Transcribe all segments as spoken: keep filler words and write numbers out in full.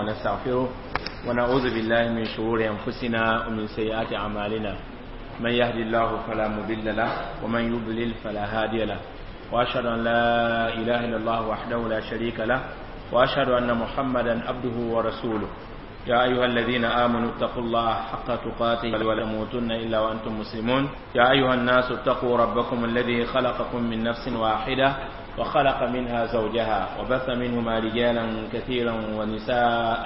ونستغفره ونعوذ بالله من شرور أنفسنا ومن سيئات أعمالنا. من يهدي الله فلا مضل له ومن يضلل فلا هادي له. وأشهد أن لا إله إلا الله وحده لا شريك له وأشهد أن محمدا عبده ورسوله. يا أيها الذين آمنوا اتقوا الله حق تقاته ولا تموتن إلا وأنتم مسلمون. يا أيها الناس اتقوا ربكم الذي خلقكم من نفس واحدة وخلق منها زوجها وبث منهما رجالا كثيرا ونساء.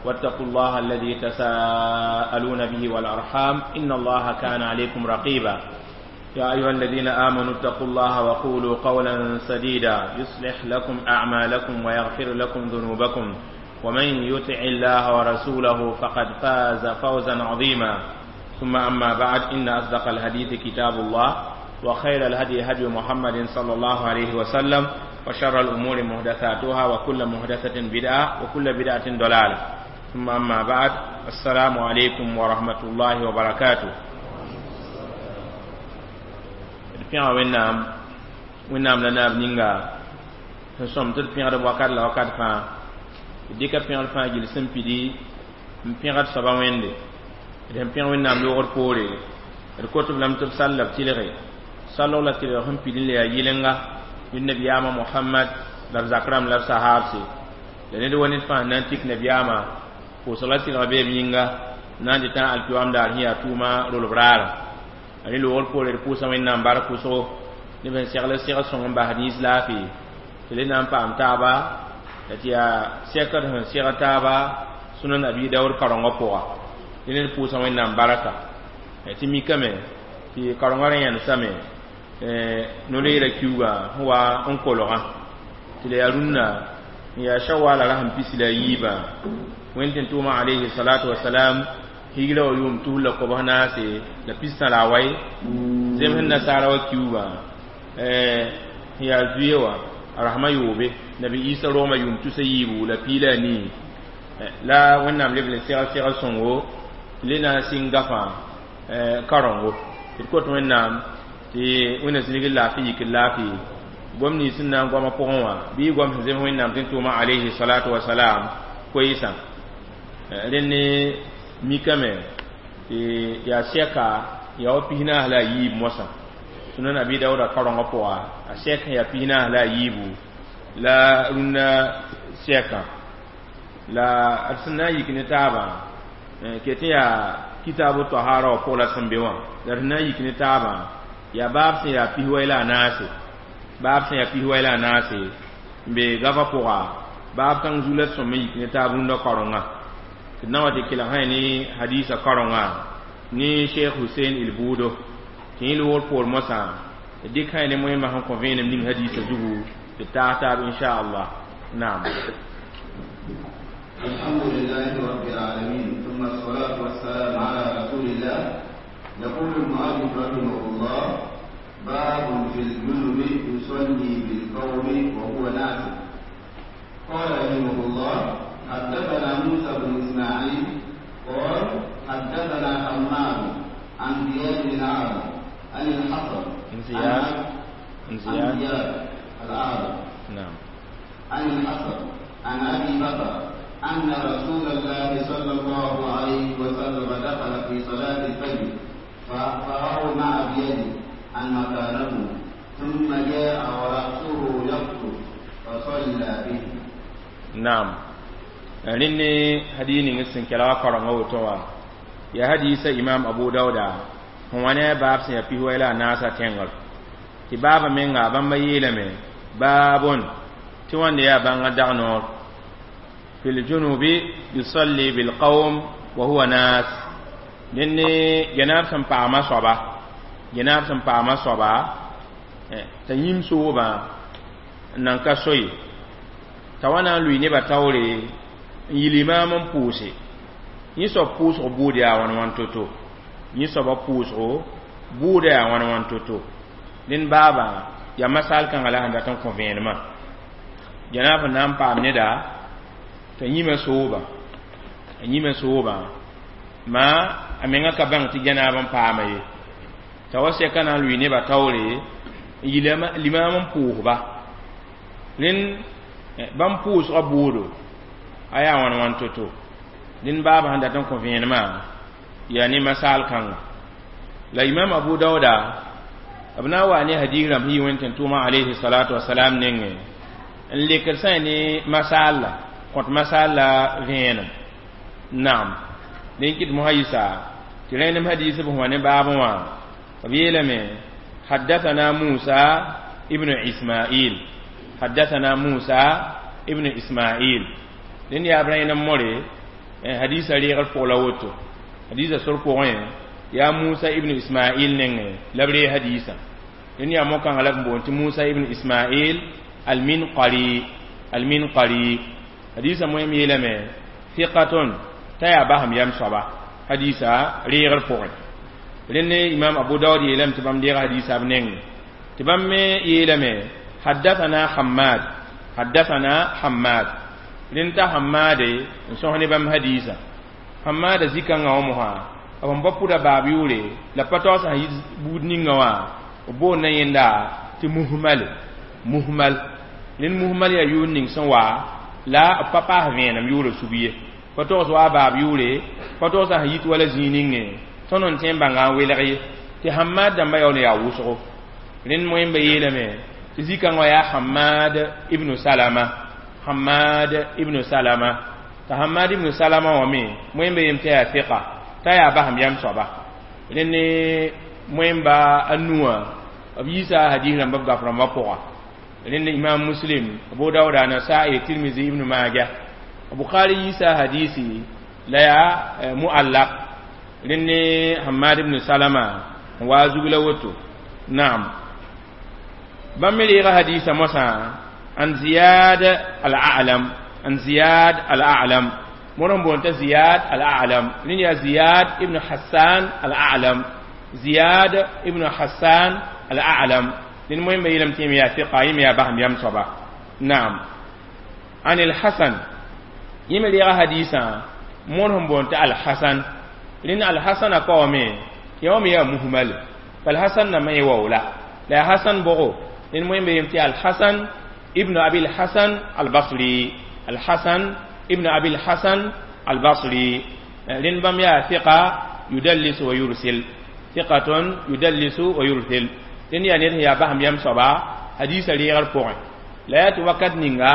واتقوا الله الذي تساءلون به والأرحام إن الله كان عليكم رقيبا. يا أيها الذين آمنوا اتقوا الله وقولوا قولا سديدا يصلح لكم أعمالكم ويغفر لكم ذنوبكم. ومن يطع الله ورسوله فقد فاز فوزا عظيما. ثم أما بعد، إن أصدق الحديث كتاب الله وخير الهدي هدي محمد صلى الله عليه وسلم وشر الأمور محدثاتها وكل محدثة بدعة وكل بدعة ضلالة. ثم أما بعد، السلام عليكم ورحمة الله وبركاته. pẽga wẽnnaam wẽnnaam la naab ninga sẽn sõm tɩ d pẽgd wakat la wakat fãa. D dɩka pẽgd fãa gill sẽn pidi n pẽgd soaba wẽnde. D sẽn pẽg wẽnnaam loogd poore, d kot b lame tɩ b sall la b tɩlge sallg la tɩlg sẽn pid n le yaa yɩlenga yʋ nabiyaamã Mohamad la b zak rãmb la b sahaabse la ned wa ned fãa na n tik nabiyaamã pʋʋsg la tɩlg bee b yĩnga na n dɩtã alkiyoam daar sẽn yaa tʋʋma rolb raara. A ne loogr poore d pʋʋsa wẽnnaam bark pʋsgo neb sẽn segl segl sõng n basd yĩs laafɩ tɩ le na n paam taaba la tɩ yaa sɛkd sẽn segd taaba Sunan Abi Daood karengã pʋga. Dẽ ned pʋʋsa wẽnnaam barka tɩ mikame tɩ karengã rẽ yẽnesame no-leera kiuugã sẽn wa n kolgã tɩ la yaa rũnnã n yaa shawala ra sẽn pisi la a yiibã wẽnd tɩ tʋʋma alayhi salatu wasalam higra wa yʋʋm tus la kobs naase la pistã la a wai zems nasaara wa kiuugã sẽn yaa zuye wã a rasmã yoobe nabi Isa rogmã yʋʋm tusa yiibu la piila a nii la wẽnnaam leb n segl segl sõngo tɩ le na n sɩng gafã karengo tɩ d kot wẽnnaam tɩ wẽnna zĩnig laafɩ yik laafɩ gom nins sẽn na n goamã pʋgẽ wã bɩ goam sẽn zems wẽnnaam tɩ n tʋʋma alayhi salatu wasalam koeesã. Rẽnd mikame tɩ yaa sɛka yaa wa pis naas la a yiib moasã Sunan Abi Daooda karengã pʋga a sɛk sẽn yaa pis naas la a yiibu la rũnnã sɛkã la d sẽn na n yik ne taabã ket n yaa kitabu tahara wã pʋg la sẽn be wã la d sẽn na n yik ne taabã yaa baab sẽn yaa pis-wai la a naase baab sẽn yaa pis-wai la a naase n be gafa pʋga baab kãng zu la d sõm n yik ne taab rũndã karengã tɩ d na wa tɩ kelg sã ne hadisa karengã ne Cheikh Hussein Il Buudo tɩ yẽ loogr poor moasã d dɩk sã ne moẽmã sẽn kõ vẽenem ning hadisa zugu tɩ taas taab inshallah. Naam. الحمد لله رب العالمين، ثم الصلاة والسلام على رسول الله. يقول المؤلف رحمه الله: باب في الجنب يصلي بالقوم وهو ناس. قال رحمه الله: حدثنا موسى بن إسماعيل قال حدثنا حماد عن زياد الأعرج عن الحسن عن زياد عن زياد الأعرج نعم عن الحسن عن أبي بكر أن رسول الله صلى الله عليه وسلم دخل في صلاة الفجر فأومأ بيده عن مكانه، ثم جاء ورأسه يقطر فصلى به. نعم. Rẽnd ne hadii ning sẽn kɛla wa karengã woto wã yaa hadiisa Imam Abu Dauda sẽn wa ne a baab sẽn yaa pis-wɛ la a naasã tẽngr tɩ baabã menga bãmba yeelame baabon tɩ wãnde yaa bãngã dag noor fi ljunubi yusalli bilqawm wa huwa nas. Dẽnd ne genaab sẽn paama soaba genaab sẽn paama soaba t'a yĩm soobã n nan ka soe t'a wa na n lʋɩ nebã taoore n yɩl imaam n pʋʋse yẽ soab pʋʋsg bʋʋd yaa wãn wãn to-to yẽ soabã pʋʋsgo bʋʋda yaa wãn wãn to-to. Dẽnd baabã yaa masal kãngã la sẽn dat n kõ vẽenemã janaab sẽn na n paam neda t'a yĩmã soobã a yĩmã soobã maa a menga ka bãng tɩ janaab n paama ye t'a wa sɛka na n lʋɩ nebã taoore n yɩl limaam n pʋʋsba rẽnd bãmb pʋʋsgã bʋʋdo Aya wãn wãn to-to dĩn baaba sẽn dat n kõ vẽenemã yaa ne masaal kãnga la imam Abu Dauda b na n wa ne hadis rãmb sẽn yi wẽnd tẽn tʋʋmã alayhi salatu wasalam nengẽ n lekd sã ne masaal la kõt masaal la vẽenem naam dẽn kɩt mosã yɩsa tɩ rẽnem hadis b wã ne baabẽ wã b yeelame حدثنا موسى ابن إسماعيل حدثنا موسى ابن إسماعيل dẽnd yaa b rẽnem more hadisa reegr pʋg la woto hadisa sor pʋgẽ yaa Musa ibn Ismail nengẽ la b ree hadisa dẽnd yaa mo-kãngã la b boond tɩ Musa ibn Ismail al-Minqari al-Minqari hadisa moem yeelame thiqatun t'a yaa basem yam soaba hadisa reegr pʋgẽ rẽnd imam Abu Dawud yeelame tɩ bãmb deega hadisa b nengẽ tɩ bãmb me yeelame حدثنا حماد حدثنا حماد rẽnd t'a Hammaade n sõs ne bãmb hadisa Hammaada zĩ-kãngã wã mosã b sẽn pa pʋda baab yʋʋre la pa taoog sã yit buud ninga wã b boonda yẽnda tɩ muhmal muhmal rẽnd muhmal yaa yʋʋr ning sẽn wa la b pa paas vẽenem yʋʋrã sug ye pa togs wa a baab yʋʋre pa togs sã yit wala zĩig ninge tõnd n tõe n bãnga n welg ye tɩ Hammad dãmbã yaool n yaa wʋsgo rẽnd moẽmba yeelame tɩ zĩ-kãngã wã yaa Hammad ibnu Salama Hammad ibnu Salama t'a Hammad ibnu Salama wã me moẽmba yem tɩ yaa fiqa t'a yaa basem yam soaba rẽnd ne moẽmba a nuwã b yiisa hadis rãmba b gaf rãmbã pʋga rẽnd imam Muslim Abu Dauda Nasai Tirmizi ibnu Majah Bukhari yiisa hadisi la yaa muallaq rẽnd ne Hammad ibn Salama n waa zug la woto naam bãmb me reega hadisa mosã an Ziyad al-A'lam an Ziyad al-A'lam moor n boond t'a Ziyad al-A'lam rẽnd yaa Ziyad ibn Hassan al-A'lam Ziyad ibn Hassan al-A'lam rẽnd moẽmba yeelame tɩ yẽ yaa fiqa yẽ me yaa basem yam soaba naam an al-Hasan yẽ me reega hadisã moor sẽn boond t'a Al-Hasan rẽnd Al-Hasan a kaoame tɩ wã me yaa muhmal Al-Hasan nambã yẽ waoola la yaa Hasan bʋgo rẽnd moẽmba yeelame tɩ Al-Hasan ibn Abi al-Hasan al-Basri Al-Hasan ibn Abi al-Hasan al-Basri rẽnd bãmb yaa fiqa yudallis wa yursil thiqatun yudallisu wa yursil rẽnd yaa ned sẽn yaa basem yam soaba hadisa reegr pʋgẽ la yaa tɩ wakat ninga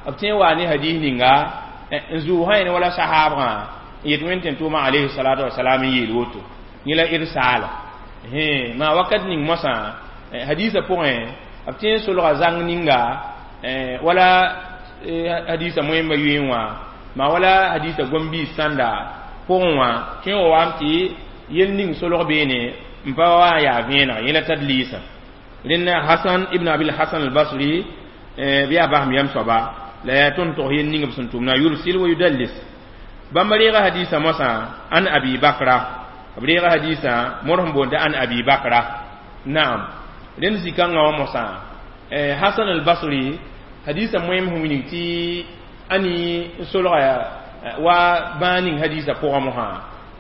b tõe n waa ne hadis ninga n zʋʋsã yẽne wala sahaabgã n yet wẽnd tẽn tʋʋmã alayhi salatu wasalam n yeel woto yẽ la irsaala maa wakat ning moasã hadisa pʋgẽ b tõe n solga zãng ninga wala hadisa moẽmba yoeẽ wã maa wala hadisa gom-biis sãnda pʋgẽ wã tõe n wa wam tɩ yel ning solg beene n pa wa n yaa vẽeneg yẽ la tadliisã rẽnd Hasan ibn Abil Hasan al-Basri bɩ yaa basem yam soaba la yaa tõnd tog yel ning b sẽn tʋmna yursil wa yudallis bãmb reega hadisa moasã an Abi Bakra b reega hadisa moor sẽn boond an Abi Bakra naam rẽnd zĩ-kãngã wã moasã Hasan al-Basri hadisa moem sẽn wilg tɩ ani n solga wa bãag ning hadisa pʋgã mosã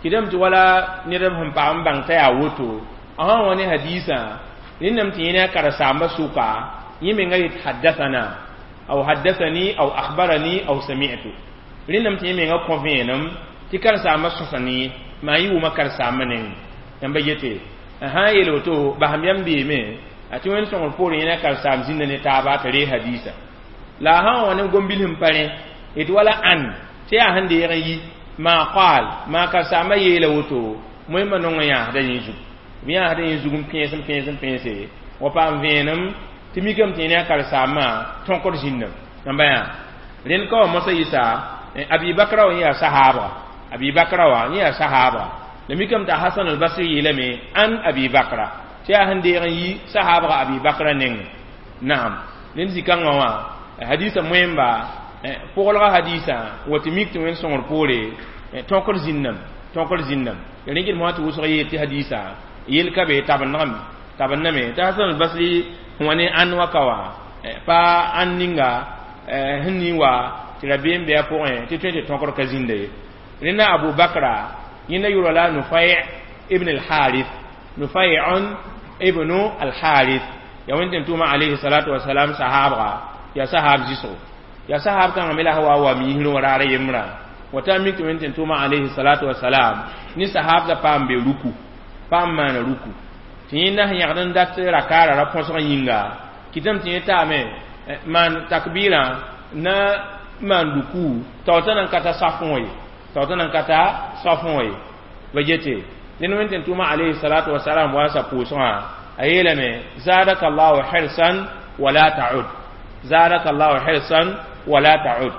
kɩdame tɩ wala ned sẽn pag n bãng t'a yaa woto a sã n wa ne hadisã rẽndame tɩ yẽ ne a karen-saambã sʋka yẽ menga yet haddathana aw haddathani aw akhbarani aw sami'tu rẽndame tɩ yẽ menga kõ vẽenem tɩ karen-saambã sõsa ne maa yɩ wʋma karen-saambã neng yãmba yete sã n yeel woto basem yam beeme a tɩ wẽnd sõngr poorẽ yẽ ne a karen-saam zĩnda ne taaba t'a ree hadisa la a sã n wa ne gom-bil sẽn pa rẽ d wala ãn tɩ yaa sẽn deeg n yi maa qaal maa karen-saambã yeela woto moẽmba nong n yãasda yẽ zug b yãasda yẽ zug n pẽes n pẽes n pẽese wa paam vẽenem tɩ mikame tɩ yẽ ne a karen-saambã tõkd zĩnnam yãmba yã rẽnd ka wa mosã yɩsa Abi Bakra wã yẽ yaa sahaabga Abi Bakra wã yẽ yaa sahaabga la mikame t'a Hasan al-Basri yeelame an Abi Bakra tɩ yaa sẽn deeg n yi sahaabga Abi Bakra nengẽ naam rẽnd zĩ-kãngã wã hadisa moẽmba pʋglga hadisã wa tɩ mik tɩ wẽnd sõngr poore tõkd zĩnnam tõkd zĩnnam rẽ kɩd mosã tɩ wʋsg yeel tɩ hadisa yel ka be tabendgame tabendame t'a Hasan al-Basri sẽn wa ne ãn wa ka wã pa ãn ninga sẽn ning wa tɩ rabeem be a pʋgẽ tɩ tõe tɩ tõkd ka zĩnda ye rẽnda Abu Bakra yẽnda yʋra la Nufai ibn al-Harith Nufai'un ibnu al-Harith ya wẽnd tẽn tʋʋmã alayhi salatu wasalam sahaabga yaa sahaab zɩsgo Ya sahab kãngã me la sã wa wa miisrẽ wã raar yembrã wata mik tɩ wẽn tʋʋma alayhi salatu wasalam ne sahabda paam be ruku paam maana ruku tɩ yẽnda sẽn yãgd n dat rakaara ra põsg yĩnga kɩtame tɩ yẽ taame maan takbirã na maan ruku taoota nan ka ta safẽ wã ye taoota nan ka ta safẽ wã ye ba yete ned wẽn tɩ tʋʋma alayhi salatu wasalam wa sa pʋʋsgã a yeelame zadaka allahu hirsan wala ta'ud zadaka allahu hirsan wala ta'ud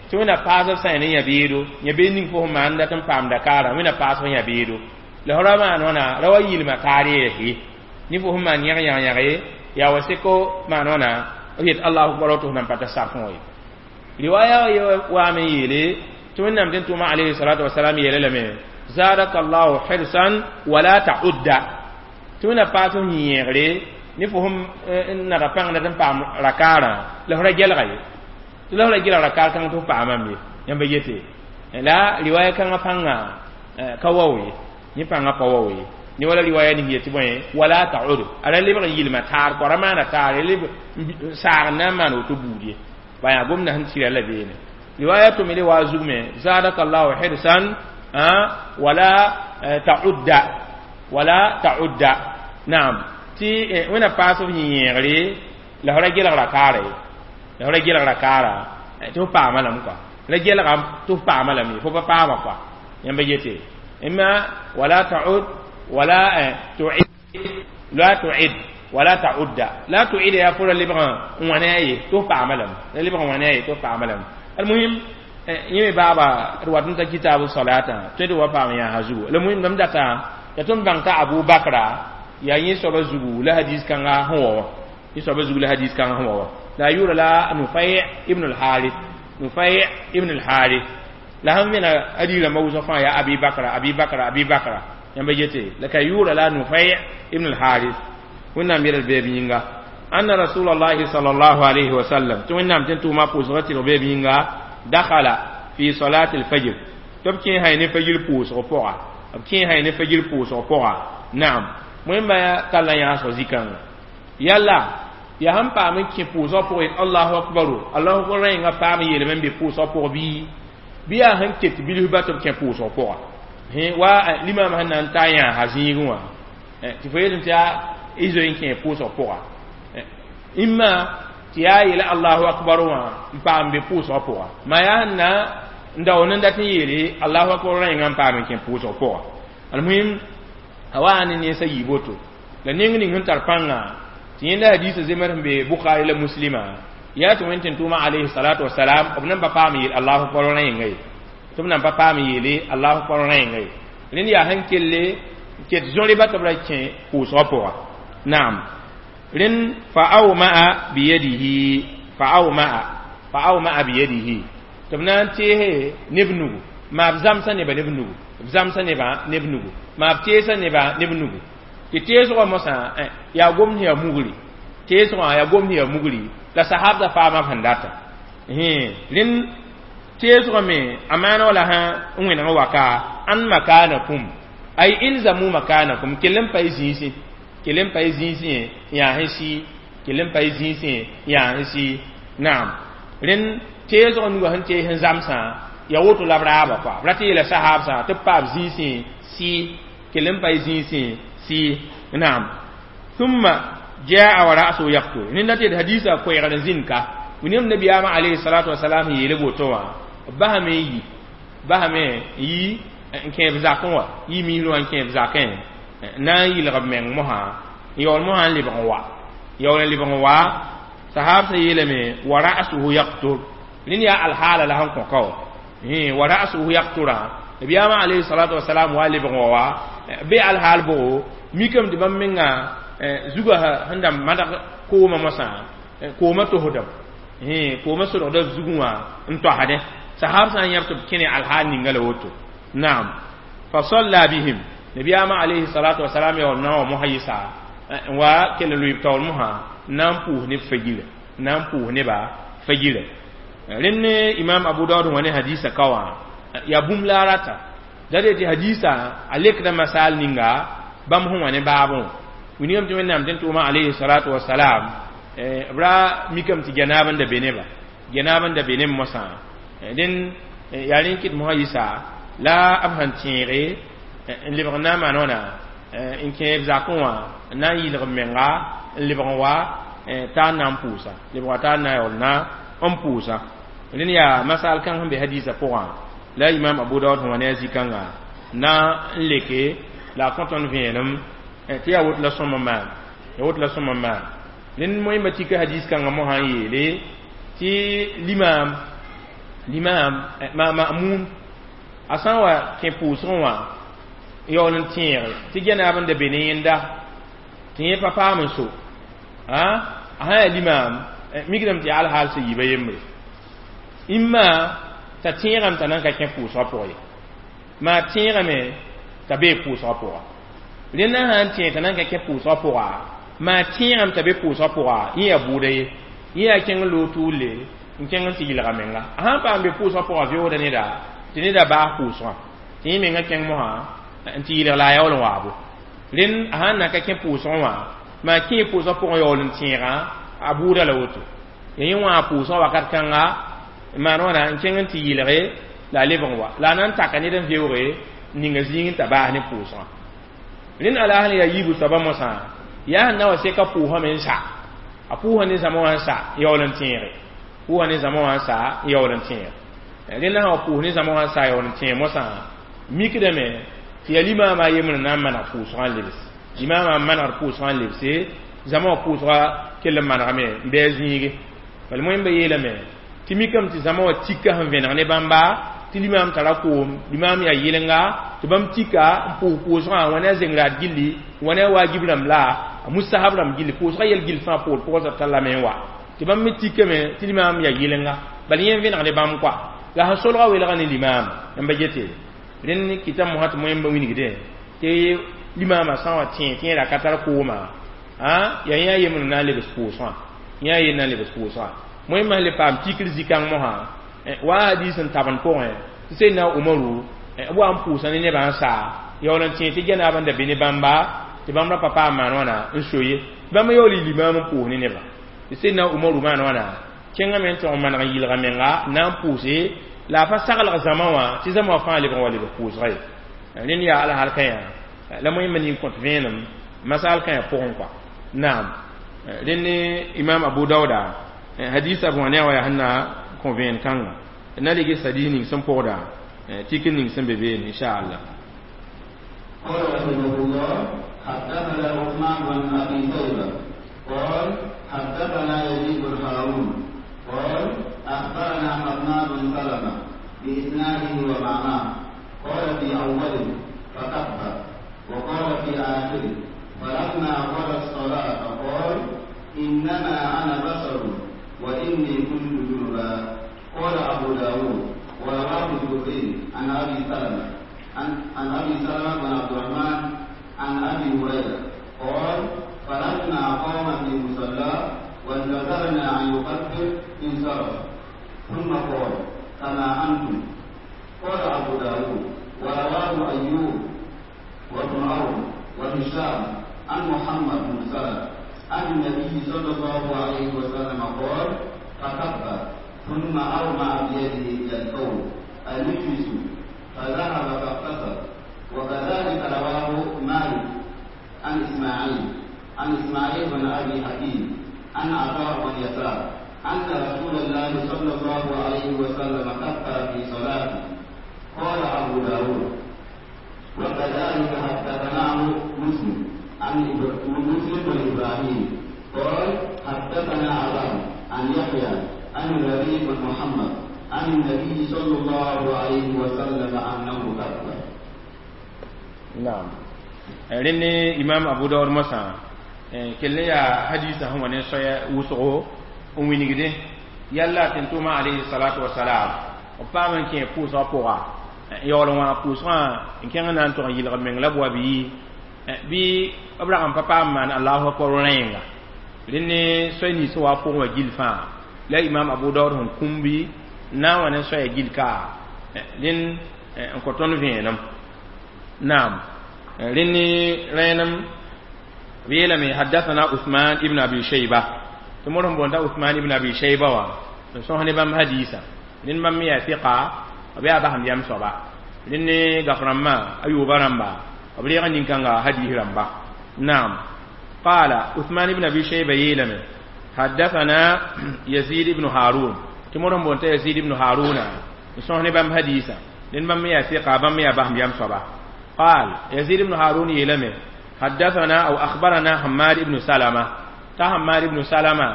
tɩ wẽna paas b sã ne yã-beedo yã-beed ning fo sẽn maan dat n paam dakaarã wẽna paas f yã-beedo la f ra maan wãna ra wa yɩlma kaar yeese ne fo sẽn maan yãg yãg yãge yaa wa seko maan wãna b yet allahu akbar tɩ f nan pa ta safẽ wã ye riwaya waame n yeele tɩ wẽnnaam tɩ tʋʋma alayhi salatu wasalam yeela lame zadaka allahu hirsan wala ta'udda tɩ wẽna paas f yẽegre ne fo sẽn nada pãng dat n paam rakaarã la f ra gelga ye tɩ la f ra gelg rakaar kãng tɩ f paamame ye yãmba yete la riwaya kãngã pãnga ka wao ye yẽ pãngã pa wao ye ne wala riwaya ning yetɩ bõe wala ta'ud a ra lebg n yɩlma taar kõ ra maana taar leb saag n na n maan woto buud ye ba yaa gomda sẽn tɩra la beene riwaya tʋ me le waa zug me zadaka allahu hirsan wala ta'udda wala ta'udda naam tɩ wẽna paas f yẽegre la f ra gelg rakaara ye la f ra gelg rakaara tɩ f paama lame kɔa la gelgam tɩ f paama lame ye fo pa paama kɔa yãmba yete imma wala ta'ud wala tu'id la tu'id wala ta'udda la tu'id ya fo ra lebg n wãna ye tɩ f paama lame la lebg n wãna ye tɩ f paama lame almuhim yẽ me baaba d wat n ta kitaab salatã tõe tɩ wa paam yãasa zugu la muhim mam data ya tõnd bãng t'a abu bakra yaa yẽ soaba zugu la hadis kãnga sẽn wa wã yẽ soaba zugu la hadis kãnga sẽn wa wã la a yʋʋra la nufai ibn al-harith nufai ibn al-harith la sẽn vẽna hadis rãmbã wʋsg fãa yaa abi bakra abi bakra abi bakra yãmba yete la ka yʋʋra la nufai ibn al-harith wẽnnaam yɛl beeb yĩnga anna rasulallahi sallallahu alayhi wa sallam tɩ wẽnnaam tɩ n tʋʋma pʋʋsgã tɩrg beeb yĩnga dakhala fi salati al-fajr tɩ b kẽ hay ne fajr pʋʋsg pʋga b kẽ hay ne fajr pʋʋsg pʋga naam wẽmba talla yãasg zikãnga yalla ya sẽn paam n kẽ pʋʋsg pʋgẽ allahu akbaru allahu akbar rẽnga paam n yeelame n be pʋʋsg pʋg bɩ bɩ yaa sẽn ket bilf ba tɩ b kẽ pʋʋsg pʋga wa limam sẽn na n ta yãasa zĩigẽ wã tɩ fo yetɩ tɩ yaa y zoe n kẽ pʋʋsg pʋga imma tɩ yaa yeela allahu akbar wã n paam be pʋʋsg pʋga ma yaa sẽn na n daoon n dat n yeele allahu akbar rẽnga n paam n kẽ pʋʋsg pʋga almuhim a wa ne nensa yiib woto la neng ning sẽn tar pãnga tɩ yẽnda hadiisa zemr sẽn be bukhari la muslima yaa tɩ wẽn tɩ tʋʋma alayhi salatu wasalam b nan pa paam yeel allahu akbar rẽnga ye tɩ b nan pa paam yeele allahu akbar rẽnga ye rẽnd yaa sẽn kelle ket zõreba tɩ b ra kẽ pʋʋsgã pʋga naam rẽnd fa awmaa biyadihi fa awmaa fa awmaa biyadihi tɩ b na n teese neb nugu maa b zãmsa nebã neb nugu b zãmsa nebã neb nugu maa b teesa nebã neb nugu tɩ teesgã mosã yaa gomd yaa mugri teesgã yaa gomd yaa mugri la sahabda faama sẽn data rẽnd teesgã me a maana wala sã n wẽneg waka an makanakum ay ilzamu makanakum kell n pa y zĩisẽ kell n pa y zĩisẽ yaa sẽn sɩ kell n pa y zĩisẽ yaa sẽn sɩ naam rẽnd teesgã nugã sẽn tees n zãmsã ya woto la b raaba kɔa b rat n yeela sahabsã tɩ b paam zĩisẽ sɩ kell n pa y zĩisẽ sɩ naam thumma jaa wa ra'suhu yaqtur nenda tɩ hadisa koɛɛgd n zĩnd ka wẽnnaam nabiyaamã alayhi salatu wasalam yeele woto wã b basame n yi basame n yi n kẽeb zakẽ wã yi miisr wã n kẽeb zakẽ na n yɩlg b meng mosã n yaool mosã n lebg n wa yaool n lebg n wa sahabsã yeelame wa ra'suhu yaqtur rẽnd yaa alhaala la sẽn kõ ka wa wa ra'suhu yaqtura nabiyaamã alayhi salatu wasalam wa lebg n wa wa be alhaal bʋgo mikame tɩ bãmb menga zugã sẽn da madg koomã mosã koomã tosdame koomã sodgda zugẽ wã n toasdẽ sahab sã n yãb tɩ b kẽne alhaal ninga la woto naam fa salla bihim nabiyaamã alayhi salatu wasalam yaool na n wa mosã yɩsa n wa kell n lʋɩ b taoor mosã n na n pʋʋs neb fajira n na n pʋʋs neba fajira rẽnd ne imam abu daud wã ne hadisa ka wã yaa bũmb la a rata da de tɩ hadisa a lekda masal ninga bãmb sẽn wã ne baabẽ wã wilgame tɩ wẽnnaam tɩ n tʋʋma alayhi salatu wasalam b ra mikame tɩ janaab n da be neba Genaab n da be ne mosã dẽn yaa rẽ n kɩt mosã yisa la b sẽn tẽege n lebg n na n maan wãna n kẽ b zakẽ wã n na n yɩlg b menga n lebg n wa t'a n na n pʋʋsa lebg wa t'a n na yaool na n pʋʋsa rẽnd yaa masal kãng sẽn be hadiisã pʋgã la imam Abu Daood sẽn wa ne a zĩ-kãnga na n leke la a kõ tõnd vẽenem tɩ yaa woto la sõm n maan ya woto la sõm n maan rẽnd moẽmba tika hadiis kãngã mosã n yeele tɩ limaam limaam ma'muum a sã n wa kẽ pʋʋsgẽ wã yaool n tẽege tɩ genaab n da be ne yẽnda tɩ yẽ pa paam n so a sã yaa limaam mikdame tɩ yaa alhaal sẽn yiba yembre imma t'a tẽegame t'a nan ka kẽ pʋʋsgã pʋgã ye maa tẽegame t'a bee pʋʋsgã pʋga rẽnda sã n tẽeg t'a nan ka kẽ pʋʋsgã pʋga maa tẽegame t'a be pʋʋsgã pʋga yẽ yaa bʋʋda ye yẽ yaa kẽng loog tʋʋle n kẽng n tɩ yɩlga menga a sãn paam be pʋʋsgã pʋgã veoogda neda tɩ neda baas pʋʋsgã tɩ yẽ menga kẽng mosã n tɩ yɩlg la a yaool n waabo rẽnd a sãn na ka kẽ pʋʋsgẽ wã maa kẽ pʋʋsgã pʋgẽ yaool n tẽegã a bʋʋda la woto ya yẽ wã pʋʋsgã wakat kãnga n maan wãna n kẽng n tɩ yɩlge la a lebg n wa la a na n taka ned n veooge n ninga zĩig n t'a baas ne pʋʋsgã rẽnd alaasl yaa yiibu soaba mosã yaa sẽn na wa seka pʋʋsame n sa a pʋʋsa ne zãma wã n sa yaool n tẽege pʋʋsa ne zãma wã n sa yaool n tẽeg rẽnd sã wa pʋʋs ne zãma wã n sa yaool n tẽeg mosã mikdame tɩ yaa limaamã yembr n na n maneg pʋʋsgã n lebs limaamã n manegd pʋʋsgã n lebse zãma wã pʋʋsgã kell n manegame n bɩ a zĩige bala moẽmba yeelame tɩ mikame tɩ zãma wã tika sẽn vẽneg ne bãmba tɩ limaam tara koom limaam yaa yɩlenga tɩ bãmb tika n pʋʋs pʋʋsgã wã ne a zengraad gilli wã ne a waajib rãmb la a musahab rãmb gilli pʋʋsgã yɛl gill fãa poor pʋgã tallame n wa tɩ bãmb me tikame tɩ limaam yaa yɩlenga bala yẽ n vẽneg ne bãmb kɔa la sẽn solga welga ne limaam n ba gete rẽnd kɩta mosã tɩ moẽmba wilgdẽ tɩ limaamã sã n wa tẽ tɩ yẽ ra ka tar kooma yaa yẽ a yembr n na n lebs pʋʋsgã yẽ a yen na n lebs pʋʋsgã moẽmbã sẽn le paam tikr zĩ-kãng mosã wa hadiis n tabend pʋgẽ tɩ Seydina Umaru b wa n pʋʋsa ne nebã n saa yaool n tẽ tɩ genaab n da be ne bãmba tɩ bãmb ra pa paam maan wãna n so ye bãmb yaool y limaam n pʋʋs ne nebã tɩ Seydina Umaru maan wãna kẽngame n tõg n maneg n yɩlga menga n na n pʋʋse la a pa saglg zãma wã tɩ zãma wã fãa lebg n wa lebg pʋʋsga ye rẽnd yaa alhaal kã la moẽmba nin kõt vẽenem masal kã pʋgẽ kɔa naam rẽnd ne imam Abu Dauda hadisa b wã ne a wa yaa sẽn na kõ vẽen kãnga na lig hadis ning sẽn pʋgda tik ning sẽn be beene inshallah. قال رحمه الله حدثنا عثمان بن ابي شيبه قال حدثنا يزيد بن هارون قال اخبرنا حماد بن سلمه باسناده ومعناه قال في اوله فكبر وقال في اخره فلما قضى الصلاه قال انما انا بشر واني كنت جنبا. قال ابو داود ورواه الزهري عن ابي سلمه عن, عن ابي سلمه بن عبد الرحمن عن ابي هريره قال فلما قام في مصلاه وانتظرنا ان يكبر انصرف ثم قال كما انتم. قال ابو داود ورواه ايوب وابن عون وهشام عن محمد بن سلمه عن النبي صلى الله عليه وسلم قال فكبر ثم أومأ بيده إلى القوم أن اجلسوا فذهب فاغتسل. وكذلك رواه مالك عن إسماعيل عن إسماعيل بن أبي حكيم عن عطاء بن يسار أن رسول الله صلى الله عليه وسلم كبر في صلاته. قال أبو داود وكذلك حدثناه مسلم عن مسلم بن إبراهيم قال حدثنا عبان عن يحيى عن الربيع بن محمد عن النبي صلى الله عليه وسلم أنه كبر. نعم rẽnd imam Abu Daud mosã kell yaa hadisa sẽn wa ne soaya wʋsgo n wilgdẽ yalla tɩ n tʋʋma alayhi salatu wasalam b paam n kẽ pʋʋsgã pʋga yaool n wã pʋʋsgã n kẽng n na n tʋg n yɩlg meng la b wa bɩ bɩ b rag n pa paam maan allahu akbar rẽenga rẽnd ne soay nins sẽn wa pʋgẽ wã gill fãa la imam Abu Daud sẽn kũmbi n na n wa ne soaya gill ka rẽnd n kõ tõnd vẽenem naam rẽnd ne rẽenem b yeelame haddathana Uthman ibn Abi Shayba tɩ modg n boonda Uthman ibn Abi Shayba wã n sõs ne bãmb hadiisã rẽnd bãmb me yaa fiqa b yaa basem yam soaba rẽnd ne gaf rãmbã a yooba rãmba b reeg nin-kãnga hadiis rãmba naam قال عثمان بن ابي شيبه يلم حدثنا يزيد بن هارون تمرن بونت يزيد بن هارون سوهني بام حديثا لن بام يا ثقة بام يا بهم يام صبا قال يزيد بن هارون يلم حدثنا او اخبرنا حماد بن سلمة تا حماد بن سلمة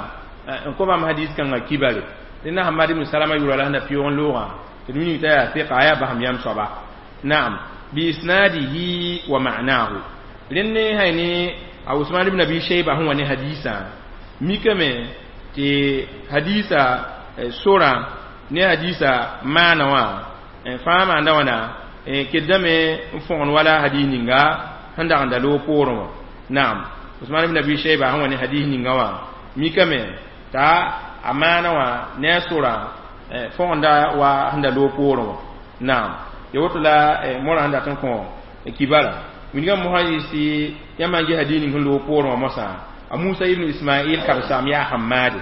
ان كو بام حديث كان كبار لن حماد بن سلمة يقول لنا في لغة تنمي تا ثقة يا بهم يام صبا نعم بإسناده ومعناه لن هيني a Usman ibn Abi Shayba hũn wa ne hadisa mikame tɩ hadisa sora ne hadisa maana wã fãa maanda wãna keddame n fõgen wala hadis ninga sẽn dag n da loog poorẽ wã naam Usman ibn Abi Shayba sẽn wa ne hadis ninga wã mikame t'a a maana wã ne a sora fõgenda wa sẽn da loog poorẽ wã naam ya woto la morã sẽn dat n kõ kibara winigã mosã yɩ yãmb n ges hadis ning sẽn loog poorẽ wã mosã a Musa ibn Ismail karsaam yaa Hammad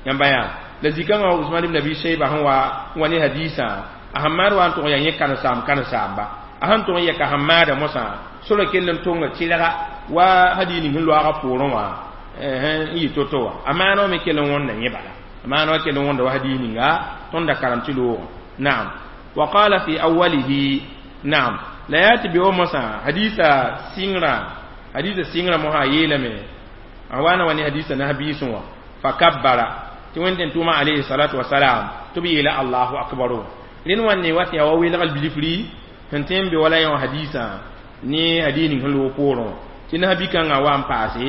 yãmba yaa la zikãngã Usman ibn Abi Shayba sẽn wa wa ne hadisã a Hammad wa n tʋg yaa yẽ karen-saam karen-saamba a sẽn tʋg n yɛka Hammada mosã sora kell n tonga tɩlga wa hadis ning sẽn loaga poorẽ wã n yɩ to-to wã a maana wã me kell n wõnda yẽ bala a maana wã kell n wõnda wa hadis ninga tõnd da karem tɩ loogã naam wa qala fi awwalihi naam la yaa tɩ be wa mosã hadisa sɩngrã hadisa sɩngrã mosã a yeelame a wa na wa ne hadisa nas-biisẽ wã fa kabbara tɩ wẽnd tʋʋma alayhi salatu wasalam tɩ b yeela allahu akbaru rẽnd wãnde wa tɩ yaa wa welgl bilifri sẽn tõe n be wala yã wã hadisã ne hadis ning sẽn loog poorẽ wã tɩ nas-bi-kãngã wa n paase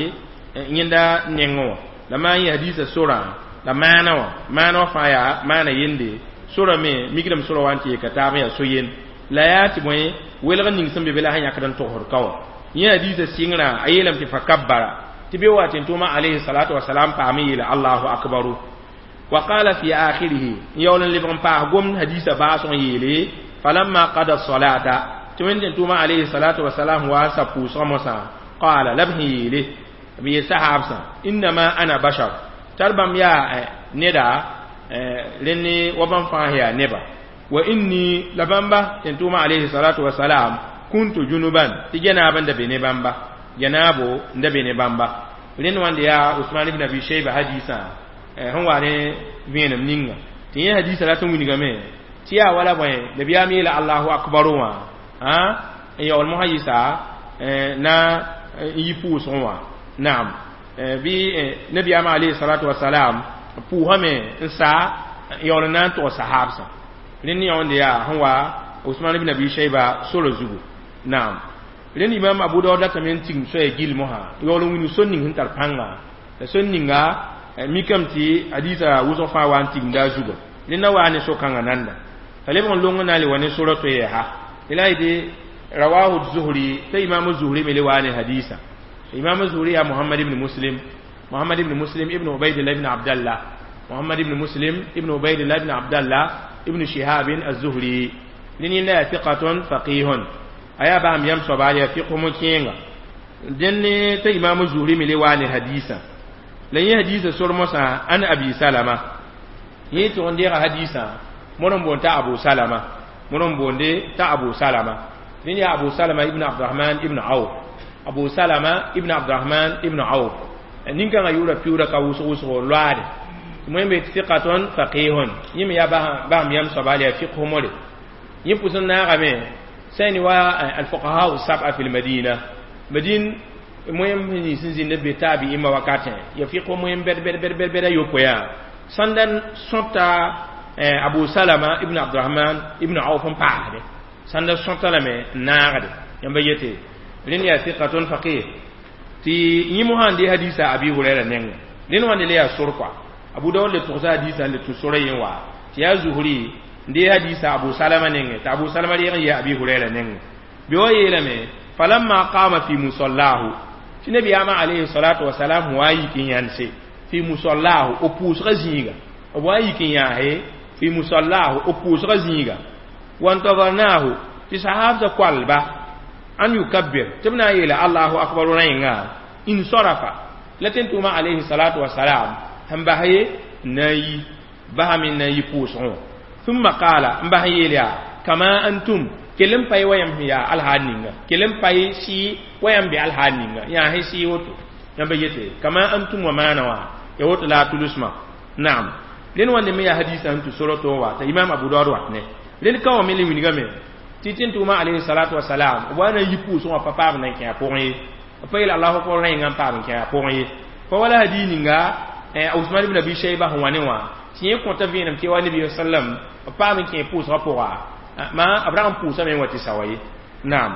yẽnda nengẽ wã la maan yẽ hadisa sorã la maana wã maana wã fãa yaa maana yende sora me mikdame sora wa n tɩ yeka taab n yaa so-yen la yaa tɩ bõe welg ning sẽn be be la sẽn yãkd n togsd ka wã yẽ hadisa sɩngrã a yeelame tɩ fa kabbara tɩ be wa tɩ tʋʋma alayhi salatu wasalam paam n yeele allahu akbaru wa qala fi akhirihi n yaool n lebg n paas gomd hadisa baasg n yeele falamma qada salata tɩ wẽnd tɩ tʋʋma alayhi salatu wasalam wa sa pʋʋsgã mosã qala la b sẽn yeele b yeel sahaabsã innama ana bashar tar bãmb yaa neda rẽnd wa bãmb fãa yaa neba wa inni la bãmba tɩ tʋʋma alayhi salatu wasalam kuntu junuban tɩ janaab n da be ne bãmba janaabo n da be ne bãmba rẽnd wãnde yaa Usman ibn Abi Shayba hadisã sẽn wa ne vẽenem ninga tɩ yẽ hadisã rat n wilgame tɩ yaa wala bõe nabiyaam yeela allahu akbaru wã n yaool mosã yɩsa na n yi pʋʋsgẽ wã naam bɩ nabiyaam alayhi salatu wasalam pʋʋsame n saa n yaool n na n tʋg sahaabsã rẽnd yãonde yaa sẽn wa Usman ibn Abi Shayba sora zugu naam rẽnd imam Abu Dawud datame n tigim soaya gill mosã yaool n wilg sor ning sẽn tar pãnga la sor ninga mikame tɩ hadisa wʋsg fãa wa n tigimda a zuga rẽnd na waa ne so-kãngã nanda t'a lebg n long n na n le wa ne sora to yɛɛsa tɩ la yetɩ rawahu zuhri t'a imam zuhri me le waa ne hadisa imam zuhri yaa Muhammad ibn Muslim Muhammad ibn Muslim ibn Ubaydillah ibn Abdallah Muhammad ibn Muslim ibn Ubaydillah ibn Abdallah ibn Shihab az-Zuhri rẽnd yẽnda yaa thiqatun faqihun a yaa basem yãmb soaba yaa fiqh kẽenga dẽnd t'a imam zuhri me le waa ne hadisa la yẽ hadisa sor mosã an abi salama yẽ tʋg n deega hadisã mod n boond t'a abu salama mod n boonde t'a abu salama rẽnd yaa abu salama ibn abdurahman ibn auf abu salama ibn abdurahman ibn auf nin-kãngã yʋʋra piuura ka wʋsg wʋsgo loaade tɩ be tɩ fiqatun faqihun yẽ me yaa basem yãmb soaba yaa fiqh more yẽ pʋs n naagame sẽn wa alfuqaha sab'a fi lmadina madin moyem nins n zĩnd be taabi'imã wakatẽ ya fiqh moyem bɛd bɛd bɛd bɛd bɛd a yopoe yaa sãn da sõta abu salama ibn abdurahman ibn auf n paasde sãn da sõta lame n naagde yãmba yete rẽnd yaa thiqatun faqih tɩ yẽ mosã n de hadisa abi huraira nengẽ rẽnd wãnde le yaa sor koa abu dawud le tʋgsa hadisa n le tũ sora yẽ wa tɩ yaa zuhri n de hadisa abu salama nengẽ tɩ abu salama reeg n yɩ abi huraira nengẽ be wa yeelame falamma qama fi musallahu tɩ nabiyaamã alayhi salatu wasalam wa yik n yãnse fi musallahu b pʋʋsgã zĩiga b wa yik n yãase fi musallahu b pʋʋsgã zĩiga wantazarnahu tɩ sahaabsã koalba an yukabbir tɩ b na n yeela allahu akbar rẽnga insarafa la tẽn tʋʋmã alayhi salatu wasalam sẽn bas ye n na n yi Basame n na n yɩ pʋʋsgẽ ثم قال n bas n yeel yaa kama antum kell n pa ye wa yãmb sẽn yaa alhaal ninga kell n pa ye sɩ wa yãmb be alhaal ninga yaa sẽn sɩ woto yãmba yete kama antum wa maana wã ya woto la a tulusmã naam rẽnd wãnde me yaa hadisa sẽn tũ soroto wa t'a imam abu daud wat ne rẽnd ka wã me le wilgame tɩ tɩ n tʋʋma alayhi salatu wasalam b wa na n yi pʋʋsgẽ wã pa paam na n kẽ a pʋgẽ ye b pa yeel allahu akbar rẽnga n paam n kẽ a pʋgẽ ye pa wala hadiis ninga usman ibn abi shayba sẽn wa ne wã tɩ yẽ kõta vẽenem tɩ wa nabi sallam b paam n kẽ pʋʋsgã pʋga ma b rag n pʋʋsame n wa tɩ sawa ye naam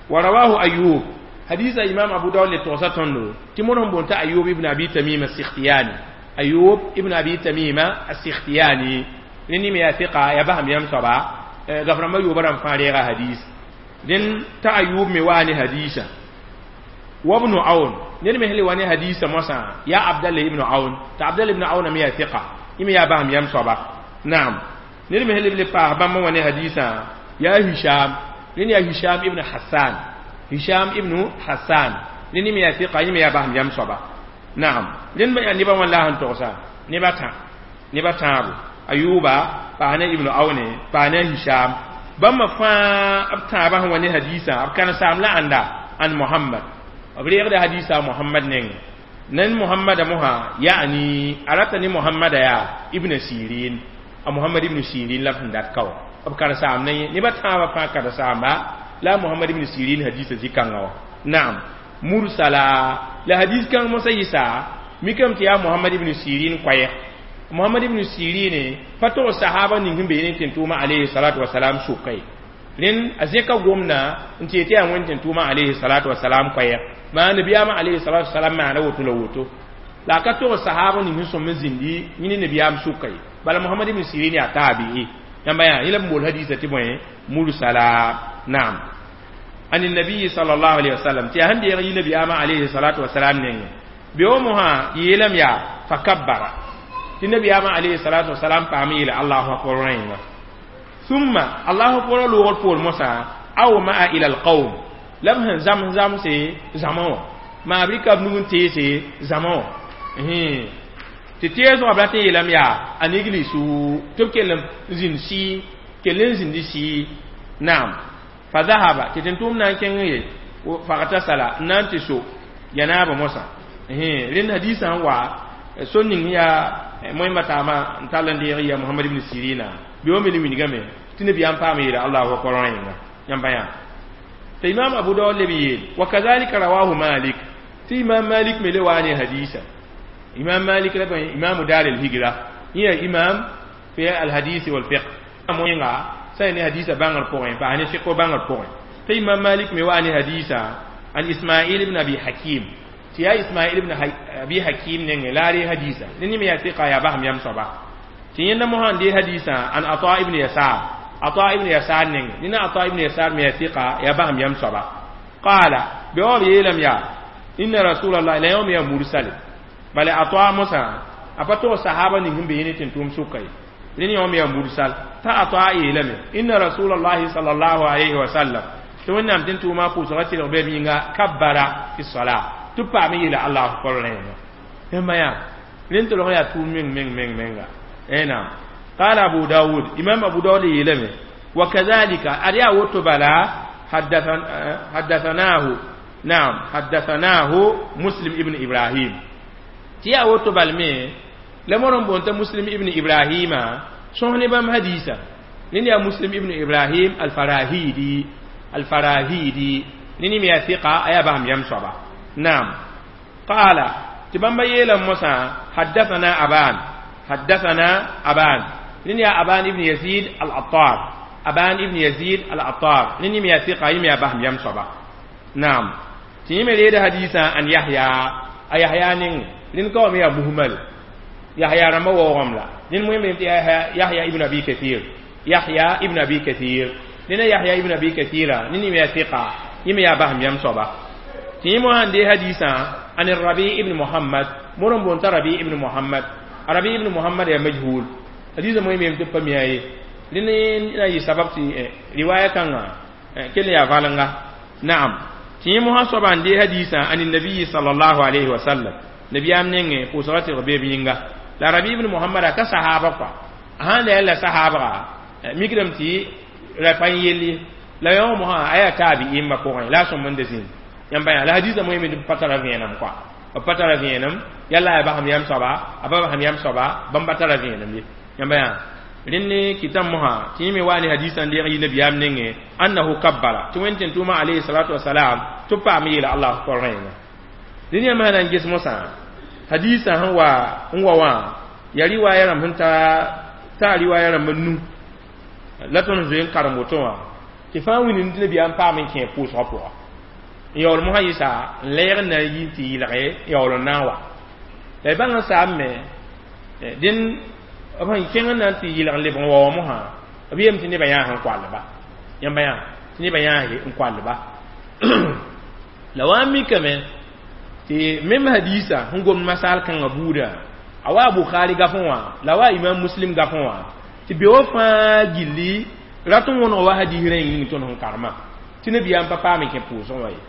wa rawahu ayub hadisa imam abu daud le togsa tõndo tɩ mod sẽn boond t'a ayub ibn abi tamima sikhtiyani ayub ibn abi tamima asikhtiyani ne me yaa fiqa ya basam yãmb soaba gaf rãmbã yooba rãmb fãa reega hadis dẽn t'a ayub me waa ne hadisa وابن عون ned me sẽn wa ne hadisa moasã yaa abdallah ibn aun t'a abdallah ibn aun me yaa fiqa yẽ me yaa basam yãmb soaba naam ned me sẽn le paas bãmb wa ne hadisã yaa hisham rẽnd yaa hisham ibn hassan hisham ibn hassan rẽnd me yaa fiqa yẽ me yaa basam yãmb soaba naam rẽnd yaa nebã wã la sẽn togsa neba tã neba tãabo ayuba paas ne ibn aune paas ne hisham bãmba fãa b tãabã sẽn wa ne hadisã b kãnsaam la ãnda an muhammad b reegda hadisa muhammad nengẽ nan muhammada mosã yaani a rata ne muhammada yaa ibn sirin a muhammad ibn sirin la b sẽn dat ka wã b karen-saam ne nebã tãabã fãa karen-saamba la muhammad ibn sirin hadisa zĩ-kãngã wã naam mursala la hadis kãng mosã yɩsa mikame tɩ yaa muhammad ibn sirin koɛɛg muhammad ibn sirin pa tog sahaba ning sẽn be ne tẽn-tʋʋmã alayhi salatu wasalam sʋka ye rẽnd a zẽka gomdã n tɩ yetɩ yaa wẽnd tẽn-tʋʋmã alayhi salatu wasalam koɛɛg maa nabiyaamã alayhi salatu wasalam maana woto la woto la a ka tog sahaba ning sẽn sõm n zĩndi yẽ ne nabiyaam sʋka ye bala muhammad ibn sirin yaa taabi'i yãmba yaa yẽ la b bool hadisa tɩ bõe mursala naam عن النبي صلى الله عليه وسلم تي هندي يغي نبي آما عليه الصلاة والسلام نيني بيومها يلم يا فكبر تي نبي آما عليه الصلاة والسلام فامي إلى الله أكبر رين ثم الله أكبر لغة فول موسى أو ما إلى القوم لم هن زم زم سي زمان ما أبريكا بنون تي سي زمان tɩ teesgã b rat n yeelame yaa a nigli-su tɩ b kell n zĩnd sɩɩ kell n zĩndi sɩɩ naam fa dhahaba tɩ tẽn-tʋʋm na n kẽng ye fagtasala n na n tɩ so yanaaba mosã rẽnd hadisã n wa so ning yaa moẽmba taamã n tall n deeg ya muhammad ibn sirina bɩ wa me le wilgame tɩ nabiyaam paam yeela allahu akbar rẽnga yãmba yã tɩ imam abu daud leb yeel wa kazalika rawahu malik tɩ imam malik me le waa ne hadisa imam malik la imam dar al hijra hiya imam fi al hadith wal fiqh moẽnga sai ne hadisa bãngr pʋgẽ pa ne fiqh bãngr pʋgẽ tɩ imam malik me waa ne hadisa an ismail ibn abi hakim tɩ yaa ismail ibn abi hakim nengẽ la a ree hadisa ne me yaa fiqa yaa basam yam soaba tɩ yẽnda mosã n dee hadisa an ata ibn yasar ata ibn yasar nengẽ nina ata ibn yasar me yaa fiqa yaa basam yam soaba qala bɩ wa b yeelame yaa inna rasulallah la yãwã me yaa mursal bala ata mosã a pa tog sahaba ning sẽn be yẽ ne tẽn-tʋʋm sʋka ye rẽnd yãwã me yaa mursal t'a ata yeelame inna rasulallahi sallallahu alayhi wa sallam tɩ wẽnnaam tẽn-tʋʋmã pʋʋsgã tɩlg bɩ b yĩnga kabbara fi sala tɩ b paam yeela allahu akbar rẽenga yãmba yaa rẽnd tɩ lg yaa tʋʋm meng meng meng menga naam qala abu daud imam abu daud yeelame wa kadhalika ad yaa woto bala haddathanahu naam haddathanahu muslim ibn ibrahim tɩ yaa woto bal me la mod n boond t'a muslim ibn ibrahima sõs ne bãmb hadisa ned yaa muslim ibn ibrahim alfarahidi alfarahidi ned me yaa fiqa a yaa basam yam soaba naam qala tɩ bãmba yeelame mosã haddathana aban haddathana aban ned yaa aban ibn yazid al-attar aban ibn yazid al-attar ned me yaa fiqa yẽ me yaa basam yam soaba naam tɩ yẽ me reeda hadisã an yahya a yahya neng rẽnd ka wa me yaa muhmal yahya rãmbã waoogame la ned moẽ tɩ yahya ibn abi kathir yahya ibn abi kathir ned yahya ibn abi kathira ned me yaa fiqa yẽ me yaa basam yam soaba tɩ yẽ mosã n dee hadisã an rabi ibn muhammad mod n boond t'a rabi ibn muhammad rabi ibn muhammad yaa majhul hadisã moẽ me tɩ pa mia ye rẽnd na yɩ sabab tɩ riwaya kãngã kell n yaa valenga naam tɩ yẽ mosã soaba n dee hadisã an nabiyi sallallahu alayhi wa sallam nabiyaam nengẽ pʋʋsgã tɩlg beeb yĩnga La Rabi ibn Muhammad ka sahaba kwa a sãn la sahaba mikdame tɩ ra pa n yell ye la yõ mosã a yaa taabi'imba pʋgẽ la a sõm n da zĩnd yãmb yã la hadisa moe me tɩ pa tara vẽenem kɔa b pa tara vẽenem yalla a basem yam soaba a pa basem yam soaba bãmb pa tara vẽenem ye yãmb yã rẽnd kɩtame mosã tɩ yẽ me wa ne hadisã n deeg yi nabiyaam nengẽ annahu kabbara tɩ wẽnd tẽn tʋʋma alayhi salatu wasalam tɩ b paam yeela allahu akbar rẽenga rẽnd yãmb sã na n ges mosã hadisã sẽn wa n wa wã yaa riwaaya rãmb sẽn ta taa riwaaya rãmb nu la tõnd zoe n karem woto wã tɩ fãa wĩnd tɩ nabiyaam paam n kẽ pʋʋsgã pʋga n yaool mosã yɩsa n lɛɛg n na n yi tɩ yɩlge n yaool n na n wa la y bãng n saam me dẽn b sẽn kẽng n na n tɩ yɩlg n lebg n wa wã mosã b yeem tɩ nebã yãas n koalba yãmba yã tɩ nebã yãas n koalba la wa n mikame tɩ mem hadisa sẽn gomd masaal kãngã buudã a wa Bukhari gafẽ wã la wa Imam Muslim gafẽ wã tɩ beoog fãa gilli rat n wõneg wa hadis rẽng ning tõnd sẽn karema tɩ nabiyaam pa paam n kẽ pʋʋsgẽ wã ye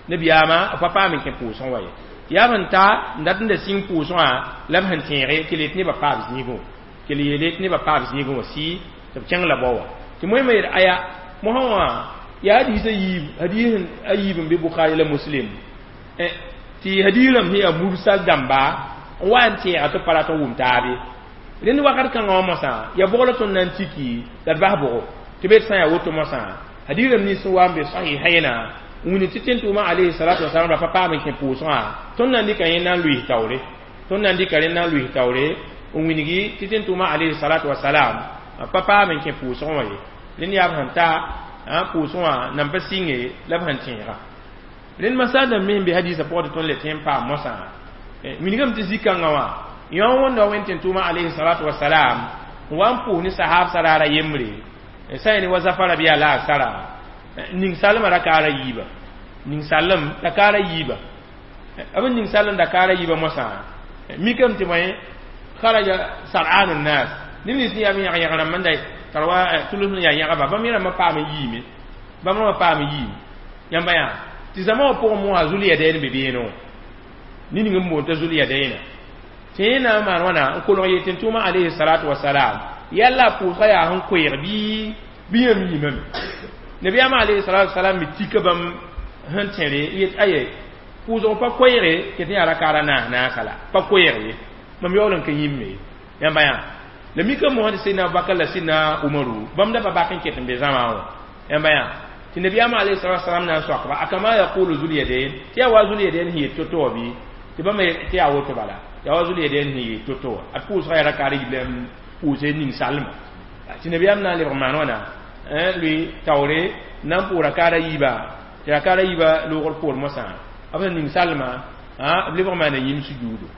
nabiyaamã pa paam n kẽ pʋʋsgẽ wã ye yaa b sẽn ta n dat n da sĩng pʋʋsgã la b sẽn tẽege tɩ le tɩ nebã paab zĩigẽ tɩ le yeele tɩ nebã paab zĩigẽ wã sɩ tɩ b kẽng la bao wã tɩ moẽmã yeel aya mosã wã yaa hadis a yiib hadis a yiib n be Bukhari la Muslim tɩ hadis rãmb sẽn yaa mursal dãmba n wa n tẽega tɩ pa rat n wʋm taabe rẽnd wakat kãngã wã mosã ya bʋg la tõnd na n tiki la d bas bʋgo tɩ be d sã n yaa woto mosã hadis rãmb nins sẽn wa n be sahihayna n wini tɩ tẽn-tʋʋmã alayhi salatu wasalam ra pa paam n kẽ pʋʋsgã tõnd na n dɩka yẽ na n lʋɩs taoore tõnd na n dɩka rẽ na n lʋɩs taoore n wingi tɩ tẽn-tʋʋmã alayhi salatu wasalam pa paam n kẽ pʋʋsgẽ wã ye rẽnd yaa b sẽn ta pʋʋsgẽ wã nan pa sɩnge la b sẽn tẽega rẽnd masal dãmb me sẽn be hadisã pʋgẽ tɩ tõnd le tẽ n paam mosã wilgame tɩ zĩ-kãngã wã yõ wẽnda wẽnd tẽn-tʋʋmã alayhi salatu wasalam n wa n pʋʋs ne sahaab raara yembre sã n wa zafara bɩ yaa la a sara ning salmã rakaara yiiba ning salem rakaara yiiba b ning salem rakaara yiiba mosã mikame tɩ bõe kharaja sar'anu nnas neb nins sẽn yaa b yãg-yãg rãmb n da tara wa tʋls sẽn yaa yãgba bãmb yẽ rãmbã paam n yiime bãmb rãmbã paam n yiime yãmba yã tɩ zãma wã pʋgẽ mosã Zulyadayn be beene wã ning n boond t'a Zulyadayna tɩ yẽ na n maan wãna n kolg yeel tɩ tʋʋmã alayhi salatu wasalam yalla a pʋʋsgã yaa sẽn koeeg bɩ bɩ yãmb yiimame nabiyaamã alayhi salatu wasalam me tika bãmb sẽn tẽre yet aye pʋʋsg pa koeege tɩ tɩ yaa rakaara naas naasa la pa koeeg ye mam yaool n ka yĩmme yãmba yã la mika mosã tɩ sidna Abubakar la sidna Umaru bãmb da pa bak n ket n be zãma wã yãmba yã tɩ nabiyaamã alayhi salatu wasalam na n soakba akama yaqulu Zulyadayn tɩ yaa wa Zulyadayn sẽn yet to-to wã bɩ tɩ bãmb tɩ yaa woto bala yaa wa Zulyadayn sẽn yet to-to wã ad pʋʋsgã yaa rakaar yib la pʋʋse ning salma tɩ nabiyaam na n lebg maan wãna lʋɩ taoore na n pʋʋs rakaara yiiba tɩ rakaara yiiba loogr poor mosã b sẽn ning salma b lebg maana yĩm sujuudo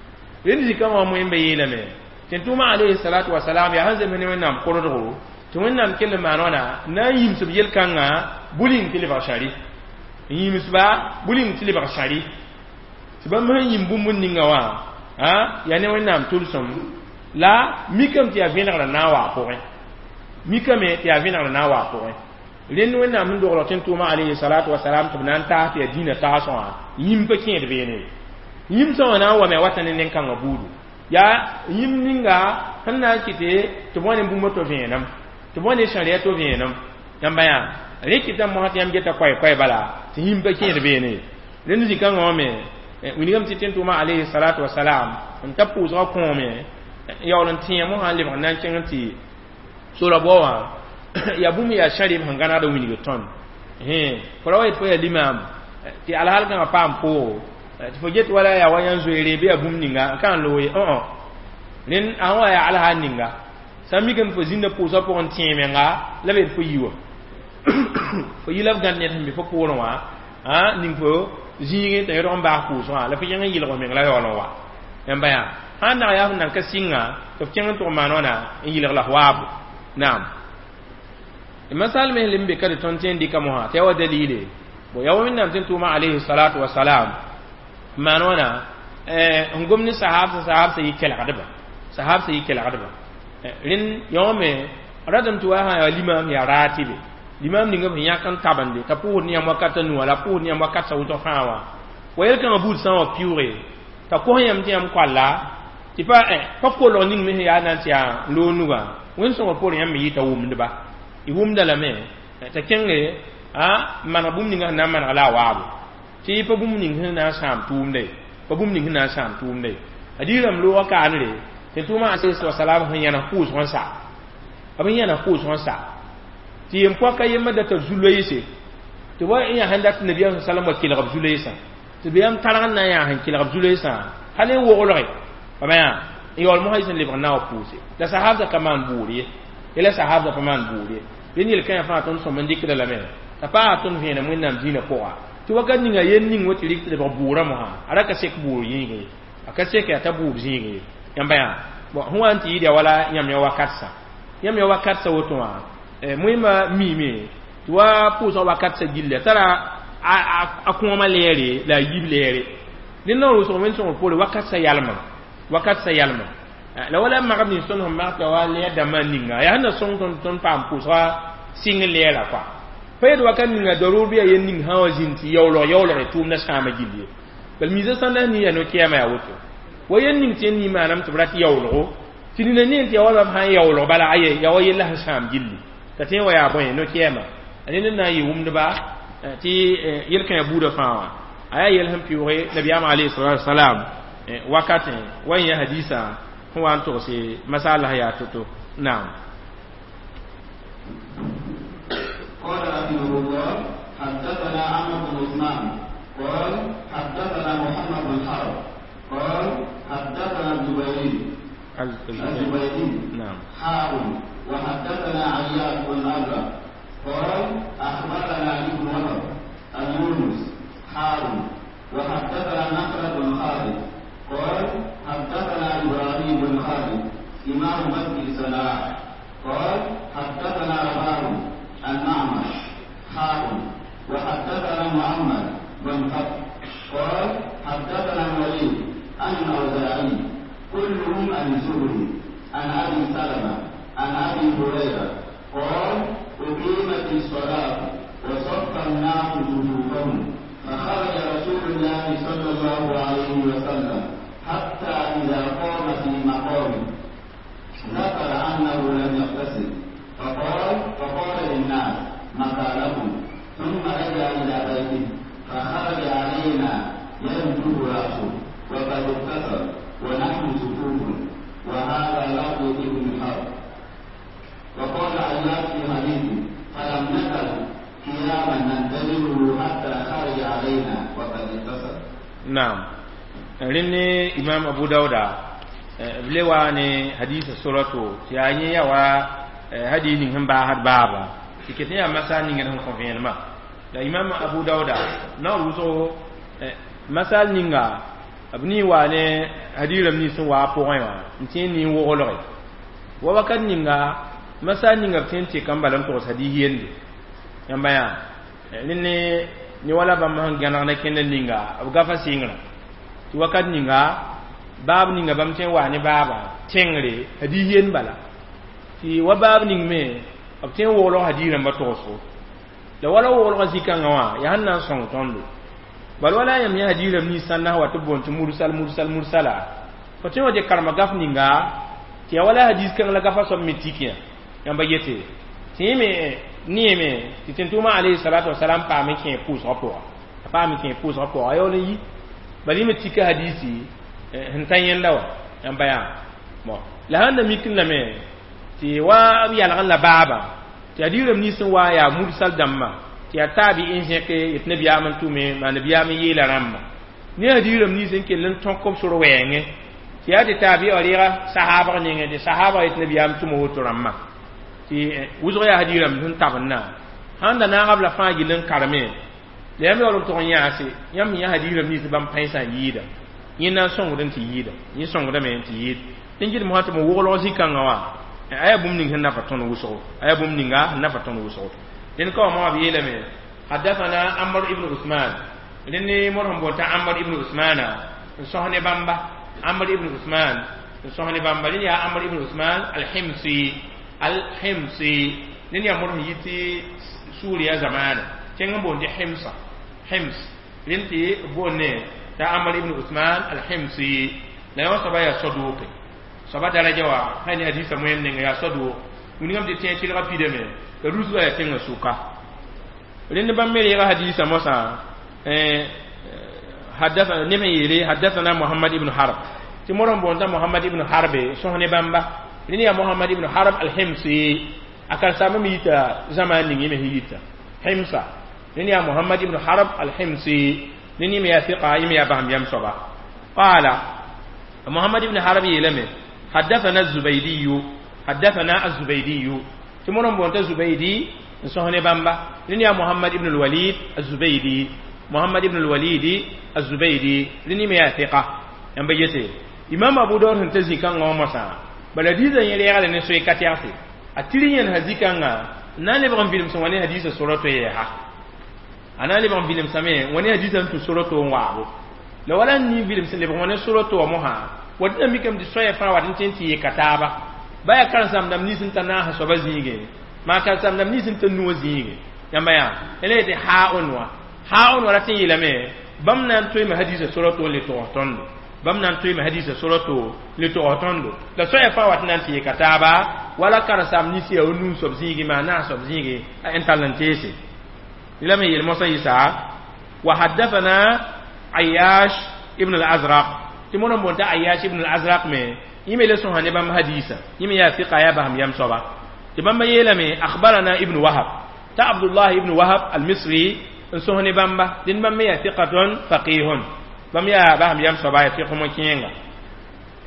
rẽnd zĩ-kãngã wã moẽmba yeelame tɩ tʋʋmã alayhi salatu wasalam yaa sẽn zems ne wẽnnaam kordgo tɩ wẽnnaam kell n maan wãna na n yĩmsb yel-kãngã buling tɩ lebg sãri n yĩmsba buling tɩ lebg sãri tɩ bãmb sẽn yĩm bũmb ninga wã yaa ne wẽnnaam tʋlsem la mikame tɩ yaa vẽnegrã na n wa a pʋgẽ mikame tɩ yaa vẽnegrã na n wa a pʋgẽ rẽnd wẽnnaam sẽn dogl tɩ tʋʋmã alayhi salatu wasalam tɩ b na n taas tɩ yaa dĩinã taasẽ wã yĩm pa kẽed beene yĩmsã wã na n wame a wata ne nen-kãngã buudu yaa yĩm ninga sẽn na n kɩte tɩ b wa ne bũmb to vẽenem tɩ b wa ne sãriya to vẽenem yãmba yã rẽ kɩtame mosã tɩ yãmb geta koɛɛ-koɛɛ bala tɩ yĩm pa kẽed beene rẽnd zĩ-kãngã wã me wilgame tɩ tẽn-tʋʋmã alayhi salatu wasalam n ta pʋʋsgã kõome yaool n tẽeg mosã n lebg n na n kẽng tɩ sora bao wã yaa bũmb yaa sãrɩ b sẽn gãnegd n wilg tõnd fo ra wa yet fo yaa limaam tɩ alhaal kãngã paam poogo tɩ fo get wala yaa wa yãn zoeere bɩ yaa bũmb ninga n ka n loog ye õ rẽnd a wa yaa alhaal ninga sã n mikame fo zĩnda pʋʋsgã pʋgẽ tẽeg menga la b yet fo yi wã fo yi la b gãd ned sẽn be fo poorẽ wã ning fo zĩigẽ t'a yõdg n baas pʋʋsgã la fo kẽng n yɩlg meng la yaool n wa yãmba yã sã n nag yaa f nan ka sɩnga tɩ f kẽng n tʋg maan wãna n yɩlg la f waabo naam masal me lim be ka tõnd tẽn dɩka mosã tɩ yaa wa dalile bo yaa wẽnnaam tẽn tʋʋma alayhi salatu wasalam maan wãna n gom ne sahaab sã sahaab sã yɩ kelgdba sahaab sã yɩ kelgdba rẽnd yõome radame tɩ wa sã yaa limaam yaa raatibe limaam ninga b sẽn yãk n tabende t'a pʋʋsd ne yãmb wakat a nuwã la pʋʋsd ne yãmb wakat sa wʋsg fãa wã wa yel-kãngã buud sã n wa pɩʋʋge t'a kos yãmb tɩ yãmb koalla tɩ Tɩ pa pa kolg ning me sẽn yaa na n tɩ yaa loog nugã wẽn-sõngr poorẽ yãmb me yɩta wʋmdba y wʋmda lame t'a kẽnge a maneg bũmb ninga sẽn na n maneg la a waabo tɩ pa bũmb ning sẽn na n sãam tʋʋmda ye pa bũmb ning sẽn na n sãam tʋʋmda ye a diirame loogã kaanre tɩ tʋʋmã alayhi wasalam sẽn yãnes pʋʋsg n sa b sẽn yãnes pʋʋsg n sa tɩ yem-poaka yembã data zu-loeese tɩ wa yaa sẽn dat nabiyaam salam wa kelg b zu-loeesã tɩ b yãmb targ n na n yaa sẽn kelg b zu-loeesã hal n woglge bama yaa n yaool mosã sẽn lebg n na wa pʋʋse la sahabdã ka maan bʋʋr ye yɛla sahabdã pa maan bʋʋr ye dẽnd yel-kãyã fãa tõnd sõm n dɩkda lame t'a paa tõnd vẽenem wẽnnaam dĩinã pʋga tɩ wakat ninga yel ning wa tɩ rɩk tɩ lebg bʋʋrã mosã a ra ka sek bʋʋr yĩng ye a ka sek yaa t'a bʋʋr zĩig ye yãmba yaa bon sẽn wa n tɩ yɩɩd ya wala yãmb ya wakat sã yãmb ya wakat sã woto wã moẽmã miime tɩ wa pʋʋsg wakat sã gilli tara a kõoma lɛɛre la a yib lɛɛre dẽnd na n rʋsg wẽn-sõngr poore wakat sã yalmem wakat sã yalmem la wala magb nins tõnd sẽn mag t'a wa lɛɛr dãmbã ninga yaa sẽn na sõng tõnd tõnd paam pʋʋsga sɩng lɛɛra kɔa pa yet wakat ninga darʋʋr bɩ yaa yel ning sã wã zĩnd tɩ yaoolg yaoolg tʋʋmdã sãama gill ye bal miisã sãn la nin yaa no-kɛɛmã yaa woto wa yel ning tɩ yẽnd maanam tɩ b rat yaoolgo tɩ nina ne tɩ ya wa bam sãn yaoolg bala aye yaa wa yella sẽn sãam gilli t'a tõe n wa yaa bõe no-kɛɛma a ned na n yɩ wʋmdba tɩ yel-kãyã buudã fãa wã a yaa yel sẽn pɩʋʋge nabiyaam alayhi salatu wasalam wakatẽ wa yẽ hadisa sẽn wa n togse masala yaa to-to naam. قال رحمه الله حدثنا عمرو بن عثمان قال حدثنا محمد بن حرب قال حدثنا الزبيري الزبيري نعم حاء وحدثنا عياش بن أبرة قال أخبرنا ابن وهب اليونس حاء وحدثنا نخلة بن خالد قال حدثنا إبراهيم بن خالد إمام مسجد صنعاء قال حدثنا رباح عن معمر حاء وحدثنا محمد بن فتح قال حدثنا الوليد عن الأوزاعي كلهم عن الزهري عن أبي سلمة عن أبي هريرة قال أقيمت الصلاة وصف الناس صفوفهم فخرج رسول الله صلى الله عليه وسلم حتى إذا قام في مقامه ذكر أنه لم يغتسل فقال فقال للناس متى لكم ثم رجع إلى بيته فخرج علينا ينجب رأسه وقد اغتسل ونحن صفوف وهذا لفظ ابن حرب. وقال عياش في حديثه فلم نزل قياما ننتظره حتى خرج علينا وقد اغتسل. نعم rẽnd imam abu dauda b le wa ne hadisa surato tɩ yaa yẽ ya wa hadis ning sẽn baasd baaba tɩ ket yaa masal ning sẽn kõ vẽenemã la imam abu dauda na n wʋsgo masal ninga b nii wa ne hadis rãmb nins sẽn wa a pʋgẽ wã n tẽ n nin-woglge wa wakat ninga masal ninga b tõe n tɩka n bala n togs hadis yende yãmba yaa rẽnd ne wala bãmb sẽn gãneg ne kẽnd ninga b gafa sɩngrã tɩ wakat ninga baab ninga bãmb tõe n waa ne baaba tẽngre hadis yend bala tɩ wa baab ning me b tõe n woglg hadis rãmbã togsgo la wala woglgã zĩ-kãngã wã yaa sẽn na n sõng tõndo bal wala yãmb yã hadis rãmb nins sãn na wa tɩ b boond tɩ mursal mursal mursala fo tõe wa tɩ karema gaf ninga tɩ yaa wala hadis kãng la gafa soab me tik yã yãmba yete tɩ yẽ me neeme tɩ tẽn-tʋʋmã alayhi salatu wasalam paam n kẽ pʋʋsgã pʋga a paam n kẽ pʋʋsgã pʋga a yaool n yi bal yẽ me tika hadisi sẽn ta yẽnda wã yãmba yaa bon la sãn da mik n lame tɩ wa b yalg n la baaba tɩ hadis rãmb nins sẽn wa yaa mursal dãmbã tɩ yaa taabi n zẽke yetɩ nabiyaam n tʋme maa nabiyaam n yeela rãmba ne hadis rãmb nins n kell n tõk b sor wɛɛngẽ tɩ yaa tɩ taabi wã reega sahaabg nengẽ tɩ sahaabg yetɩ nabiyaam tʋma woto rãmbã tɩ wʋsg yaa hadis rãmb sẽn tabendã sãn da naag b la fãa gill n kareme la yãmb yaool n tʋg n yãase yãmb yã hadis rãmb nins bãmb pãensã n yɩɩda yẽ na n sõngd n tɩ yɩɩda yẽ sõngdame n tɩ yɩɩd tɩ n gɩdem sã tɩ m woglg zĩ-kãngã wã a yaa bũmb ning sẽn nafa tõnd wʋsgo a yaa bũmb ninga sẽn nafa tõnd wʋsgo dẽnd ka wã moa b yeelame حدثنا عمر ibn Usman rẽnd ne mor sẽn boond t'a Amr ibn Usmana n sõs ne bãmba Amr ibn Usman n sõs ne bãmba rẽnd yaa Amr ibn Usman al-Himsi al-Himsi rẽnd yaa mor sẽn yɩ tɩ Suuriya zamaana tẽng n boond tɩ Himsa Hims rẽnd tɩ b boond ne t'a Amr ibn Usman al-Himsi La yã soaba yaa saduuqe soaba daraja wa sã ne hadiisã moẽm ninga yaa saduuq wilgame tɩ tẽ tɩlga pidame la rusgã yaa tẽngã sʋka rẽnd bãmb me reega hadiisã mosã حدثنا نم يلي حدثنا محمد ابن حرب تي مورم بونتا محمد ابن حرب سوهني بامبا لني يا محمد ابن حرب الحمصي أكل سامي ميتا زمان نيجي مهيتا حمصة لني يا محمد ابن حرب الحمصي لني ميا ثقة يمي يا بهم يم صبا قال محمد ابن حرب يلمي حدثنا الزبيدي حدثنا الزبيدي تي مورم بونتا الزبيدي سوهني بامبا لني يا محمد ابن الوليد الزبيدي محمد ابن الوليد الزبيدي لني ميا ثقة يم بيتي إمام أبو داود هنتزي كان غومسا bala diza yẽl yɛgl ne soe ka tɛgse a tɩr yẽn sã zikãngã n na n lebg n vilemsẽ wã ne hadiisã sora to yɛɛsa a na n lebg n vilemsame wã ne hadiisã n tũ sora to n waabo la wala n nin vilems lebg wã ne sora to wã mosã wat na mikame tɩ soaya fãa wat n tõe n tɩ yeka taaba ba yaa karen-saam-dãmb nins n ta naasã soaba zĩigẽ maa karen-saam-dãmb nins n ta nuwã zĩige yãmba yaa la yetɩ haa-on wã haa-on wã rat n yeelame bãmb na n toeeme hadiisã sora to n le togs tõndo bãmb na n toeeme hadiisã sora to le togs tõndo la soaya fãa wat n na n tɩ yeka taaba wala karen-saam nins yaa wa nuu soab zĩige maa naas soab zĩige a n tall n teese lame yeel mosã yɩsa wa haddathana ayash ibn al-azraq tɩ mõr n boonta ayash ibn al-azraq me yẽ me le sõsa ne bãmb hadiisã yẽ me yaa fiqa yaa basam yam soaba tɩ bãmba yeelame akhbarana ibn wahab ta abdullah ibn wahab al-misri n sõs ne bãmba dẽnd bãmb me yaa fiqatun faqihun bãmb yaa basam yam soaba yaa fiq mo-kẽenga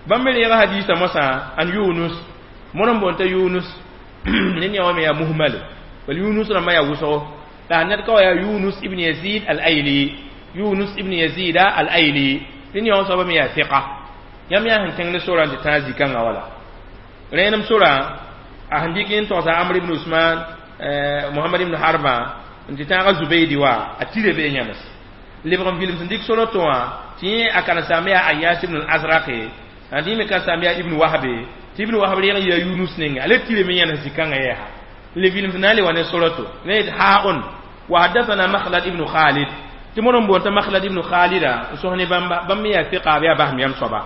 bãmb me reega hadiisã mosã an yunus mõr n boonta yunus ned yã wã me yaa muhmal bal yunus rãmbã yaa wʋsgo la ned ka wa yaa yunus ibn yazid al-ayli yunus ibn yazid al-ayli dẽnd yã wã soaba me yaa fiqa yãmb yaa sẽn kẽng ne sorã tɩ tãag zikãngã wala rẽenem sorã a sẽn dɩk n togsa amr ibn usman muhammad ibn harba n tɩ tãaga zubaydi wa a tire bee yãmes lebg n vilem sẽn dɩk sora tõ wã tɩ yẽ a karen-saam yaa ayas ibn al-azraqe a dɩ me karen-saam yaa ibn wahbe tɩ ibn wahb reg n yaa yunus ninga a le tire me yãnes zikãngã yɛɛsa le vilem sẽn na n le wa ne sora to ne yet ha-on wa haddathana makhlad ibn khalid tɩ mõr n boonta makhlad ibn khalida n sõs ne bãmba bãmb me yaa fiqa b yaa basem yam soaba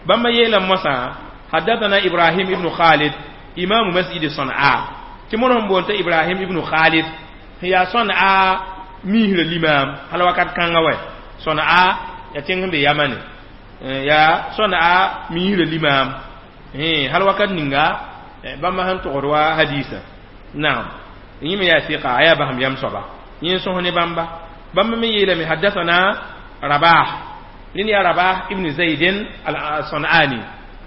bãmba yeelame mosã haddathana ibrahim ibn khalid imamu masjid sanaa tɩ mõr sẽn boonta ibrahim ibn khalid sẽn yaa sanaa miisrã limam hal wakat kãngã wɛ sanaa yaa tẽng sẽn be yamane yaa sanaa miisrã limam hal wakat ninga bãmba sẽn togd wa hadiisã naam yẽ me yaa fiqa a yaa basem yam soaba yẽ n sõs ne bãmba bãmba me yeelame haddathana rabah rẽnd yaa rabah ibn zaydin al-sanani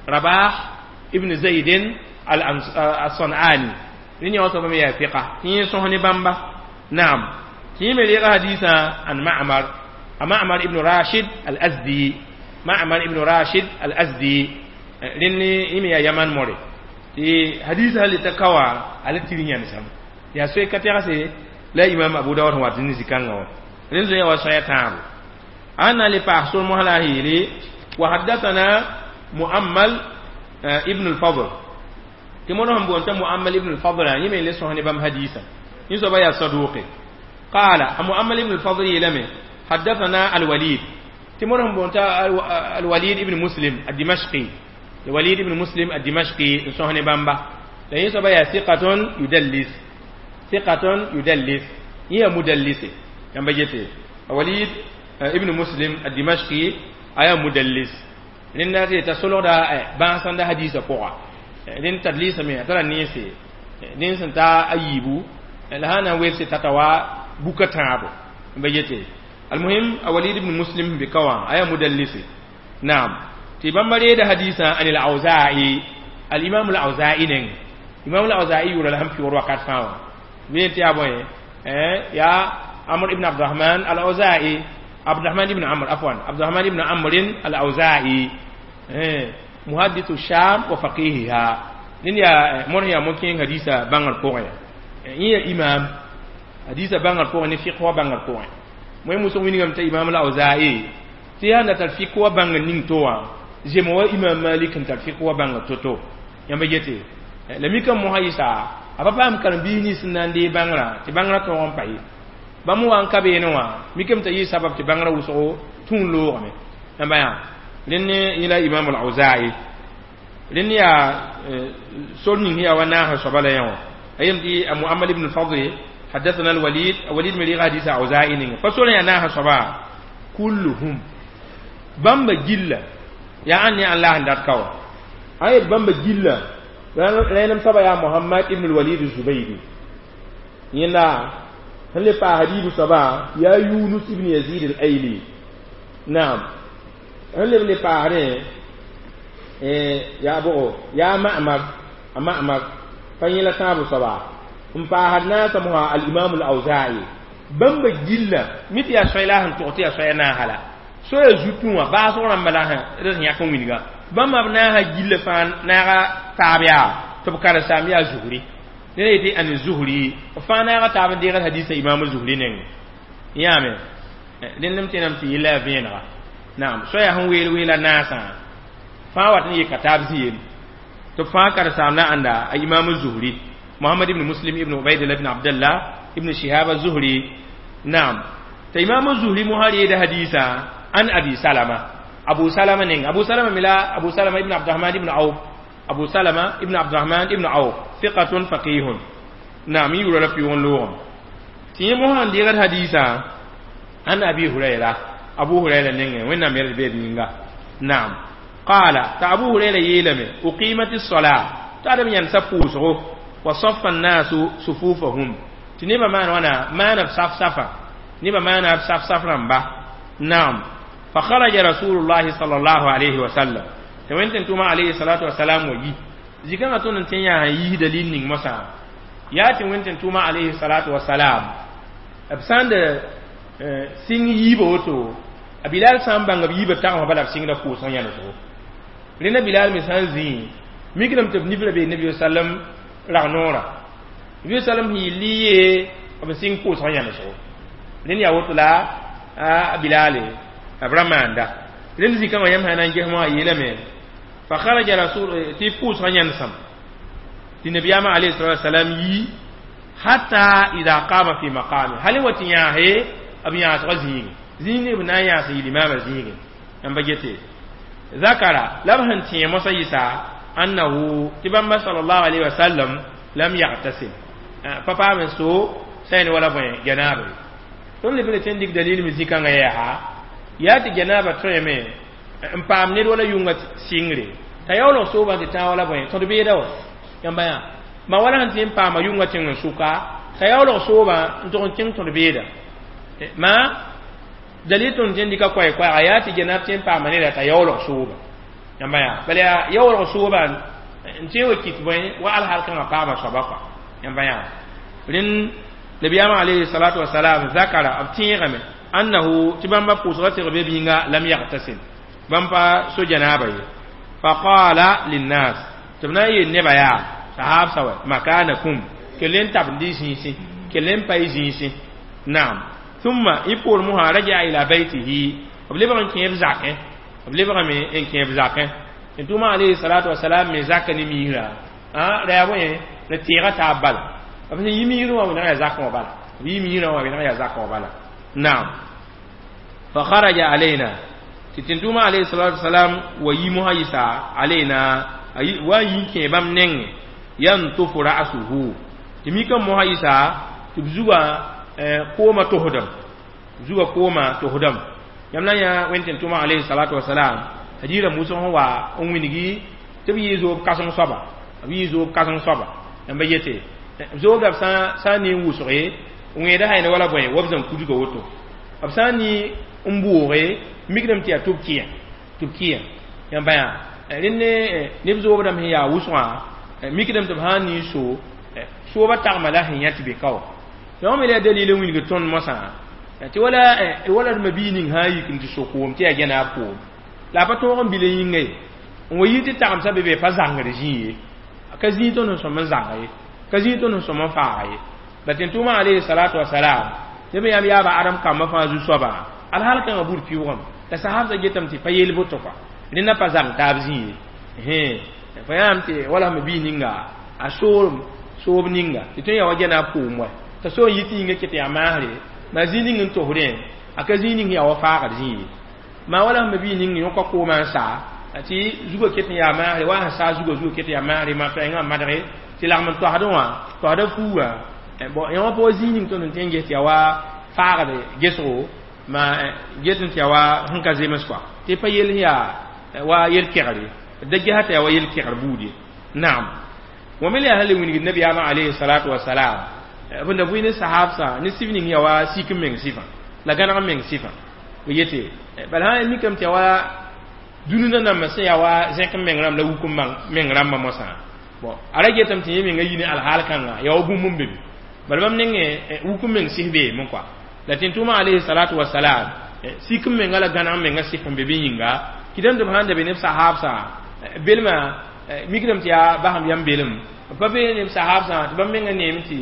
rabah ibn zaydin al-sanani rẽnd yaa soaba me yaa fiqa tɩ yẽ sõs ne bãmba naam tɩ yẽ me reega hadiisã an ma'mar a ma'mar ibn rashid al-azdi ma'mar ibn rashid al-azdi rẽnd yẽ me yaa yaman more tɩ hadiisã sã le ta ka wã a le tɩr yãnesam yaa soe ka tɛgse la imam abu dawud sẽn wat ne zikãngã wã rẽnd zoe wa soaya tãabo a na le paas sor mosã la a yeele wa haddathana muammal ibn al-fadl tɩ mõr sẽn boonta muammal ibn al-fadl yẽ me le sõs ne bãmb hadiisã yẽ soaba yaa saduqe قال muammal ibn al-fadl yeelame حدثنا الوليد tɩ mõr sẽn boonta الوليد ibn muslim الدمشقي الوليد ibn muslim الدمشقي n sõs ne bãmba la yẽ soaba yaa ثقة يدلس ثقة يدلس هي مدلس yãmba gete walid ibn muslim الدمشقي aya mudallis rẽnda tɩ t'a solgda bãasãnda hadiisã pʋga rẽnd tadliisame a tara nense nens sẽn ta a yiibu la sã na n welse tata wa buka tãabo ba yete almuhim a walid ibn muslim be ka wã aya mudallisi naam tɩ bãmba reeda hadiisã an al-auza'i al-imam al-auza'i neng imam al-auza'i yʋʋra la sẽn pɩʋʋr wakat fãa wã bɩ tɩ yaa bõe yaa amr ibn abdurrahman al-auza'i abdurrahman ibn amr afwan abdurrahman ibn amr al-auza'i muhaddithu sham wa faqihiha nin ya mon ya mon kẽeng hadiisa bãngr pʋgẽ yẽ ya imam hadiisa bãngr pʋgẽ ne fiq wa bãngr pʋgẽ moe musg wilgame t'a imam al-auza'i tɩ yaa na tar fiq wa bãngr ning to wã zem wa imam malik n tar fiq wa bãngr to-to yãmba yete la mikame mosã yɩsa a pa paam karen-biis nins n na n dee bãngrã tɩ bãngrã tõog n pa ye bãmb wa n ka beene wã mikame t'a yɩ sabab tɩ bãngrã wʋsgo tũ n loogame yãmba yaa Rẽnd yẽla Imam al-Auza'i rẽnd yaa sor ning yaa wa naasã soaba la yẽ wã a yem tɩ a Muhammad ibn al-Fadl حدثنا الوليد وليد من حديث أوزاعي نينga fa sor yaa naasã soaba kulluhum bãmba gilla yaa ãn ne ãn la sẽn dat ka wã a yet bãmba gilla rẽnem soaba yaa Muhammad ibn al-Walid al-Zubaydi yẽnda sẽn le paas hadiibu soaba yaa Yunus ibn Yazid al-Ayli naam sẽn leb le paasdẽ yaa bʋgo yaa Ma'mar a Ma'mar pa yẽ la tãabo soaba n paasd naasã mosã al-Imam al-Awza'i bãmba gilla mi tɩ yaa soay la sẽn tog tɩ yaa soaya naasa la soaya zutũ wã baasg rãmba la d sẽn yãk n wilga bãmba b naasã gilla fãa naaga taab yaa tɩ b karen-saam yaa Zuhri ned yetɩ an Zuhri b fãa naaga taab n deegd hadisa Imam Zuhri nengẽ yãame dẽnd m tẽnam tɩ yella yaa vẽenega naam soaya sẽn weel weela naasã fãa wat n yeka taab zĩ-yel tɩ b fãa karen-saam la ãnda a Imam Zuhri Muhammad ibn Muslim ibn Ubaidillah ibn Abdullah ibn Shihab az-Zuhri naam t'a Imam Zuhri mosã reeda hadisa an Abi Salama Abu Salama neng Abu Salama mila Abu Salama ibn Abdurrahman ibn Auf Abu Salama ibn Abdurrahman ibn Auf thiqatun faqihun naam yura la pion loogem tɩ yẽ mosã n deegd hadisa an Abi Hurayra Abu Hurayra nengẽ wẽnnaam yɛl beed yĩnga naam qaala t'a Abu Hurayra yeelame uqimat as-salat t'a ad b yãnsa pʋʋsgo wa saffa an-nasu sufufahum tɩ nebã maan wãna maana b saf-safa nebã maana b saf-saf rãmba naam fa kharaja rasulullahi sallallahu alayhi wa sallam tɩ wẽn tɩ tʋma alayhi salatu wasalam wa yi zikãngã tõnd n tẽ yaa sẽn yiis dalil ning mosã yaa tɩ wẽn tɩ tʋma alayhi salatu wasalam b sãn d sɩng yiibã woto a Bilal sã n bãng b yiibã tagsmã bala b sɩngda pʋʋsg yãnesgo rẽnda Bilal me sã n zĩ mikdame tɩ b nifra bee nabi sallam rag noorã nabi sallam sẽn yɩl ye b sɩng pʋʋsg yãnesgo rẽnd yaa woto la a Bilale b ra maanda rẽnd zikãngã yãmb sã na n ges moa a yeelame fa kharaja rasul tɩ pʋʋsg yãnesem tɩ nabiyaamã alayhi salatu wasalam yi hatta ida qama fi maqami hal wa tɩ yãase b yãasgã zĩige zĩig b na n yãas n yɩl imaamã zĩige n ba gete zakara la b sẽn tẽe mosã yɩsa annahu tɩ bãmba sallallahu alayhi wa sallam lam yagtasil pa paam n so sã ne wala bõe janaaba ye tõnd leb n tɩ n dɩk dalil me zĩ-kãngã yɛɛsa yaa tɩ janaaba tõeme n paam ned wala yʋnga sɩngre t'a yaoolg soobã tɩ tãag wala bõe tõd beeda wa yãmba yã ma wala sẽn tɩ n paama yʋnga tẽng n sʋka t'a yaoolg soobã n tʋg n kẽng tõd beeda ma dalil tõnd tɩ n dɩka koɛɛ-koɛɛga yaa tɩ janaab tɩ n paama neda t'a yaoolg sooba yãmba yã bala yaa yaoolg sooba n tẽ wa kɩt bõe wa alhal kãngã paama soaba kɔa yãmba yã rẽnd nabiyaamã alayhi salatu wasalam zakara b tẽegame annahu tɩ bãmba pʋʋsga tɩg be bĩnga lam yagtasil bãmb pa so janaaba ye faqala linnas tɩ b na n yeel nebã yaa sahaab sa wa makanakum kell n tabend y zĩisẽ kell n pa y zĩisẽ naam thumma y poor mosã raja ila baytihi b lebg n kẽeb zakẽ b lebgame n kẽeb zakẽ tɩ tʋma alayhi salatu wasalam me zaka ne miisrã ra yaa bõe la tẽega taab bala b sẽn yi miisrẽ wã wẽneg yaa zakẽ wã bala b yi miisrã wã wẽneg yaa zakẽ wã bala naam fa kharaja alayna tɩ tɩ-tʋʋma alayhi salatu wasalam wa yi mosã yɩsa alayna wa n yi n kẽ bãmb nengẽ yantufu ra'suhu tɩ mikã mosã yɩsa tɩ b zuga koomã tosdem zuga koomã tosdem yãmb na n yã wẽnd tɩ tʋma alayhi salatu wasalam hadiirã musg sẽn wa n wilgi tɩ b yɩ zoob kãseng soaba b yɩ zoob kãseng soaba yãmba yete zoogã b sã n ne n wʋsge wẽeda sã ne wala bõe wa b zãn kudga woto b sã n ne n bʋʋge mikdame tɩ yaa tɩ b kɩã tɩ b kɩã yãmba yã rẽnd ne neb zoobdame sẽn yaa wʋsgã mikdame tɩ b sã n ne n so soobã tagma la sẽn yã tɩ be ka wa yõ me la dalil n wilg tõnd mosã tɩ wala wala d mabii ning sã n yik n tɩ so koom tɩ yaa gẽnaab koom la a pa tõog n bil n yĩnga ye n wa yi tɩ tagemsã be be pa zãngd zĩ ye ka zĩig tõnd sẽn sõm n zãnga ye ka zĩig tõnd sẽn sõm n faaga ye la tɩ tʋʋmã alayhi salatu wasalam neb yãmb yaaba adam kambã fãa zu-soaba alhal kãngã bur pɩʋʋgame la sahabsã getame tɩ pa yeel boto kɔa rẽnda pa zãng taab zĩ ye fa yãam tɩ wala sẽn bii ninga a soorem soob ninga tɩ tõe n yaa wa gẽnaab koom wa t'a so n yit yĩnga ket yaa maasre ma zĩ ning n tosdẽ a ka zĩ ning yaa wa faagd zĩ ye Ma wala sẽn bi ning yõka koomã n saa tɩ zugã ket n yaa maagre wa sẽn saa zugã zugã ket n yaa maagre maa pɛɛngã n madge tɩ lagm n toasdẽ wã toasda fuugã bon yõ pa wa zĩig ning tõnd n tõe n ges tɩ yaa wa faagd gesgo ma get n tɩ yaa wa sẽn ka zems kɔa tɩ pa yell yaa wa yel-kegre da gesa tɩ yaa wa yel-kegr buud ye naam wã me la yaa sẽn le wilgd nabiyaamã alayhi salatu wasalam b da bʋɩ ne sahabsã ne sif ning yaa wa sik n meng sɩfã la gãneg n meng sɩfã b yete bala sã mikame tɩ yaa wa dũni nanambã sẽn yaa wa zẽk n meng rãmb la wuk n meng rãmbã mosã bon a ra getame tɩ yẽ menga yi ne alhaal kãnga yaa wa bũmb n be be bala bãmb nengẽ wuk n meng sɩs beeme kɔa la tẽn-tʋʋmã alayhi salatu wasalam sik n menga la gãneg n menga sɩf n be bɩ yĩnga kɩdame tɩ b sãn da be neb sahabsã belmã mikdame tɩ yaa basem yam belem pa be neb sahabsã tɩ bãmb menga neem tɩ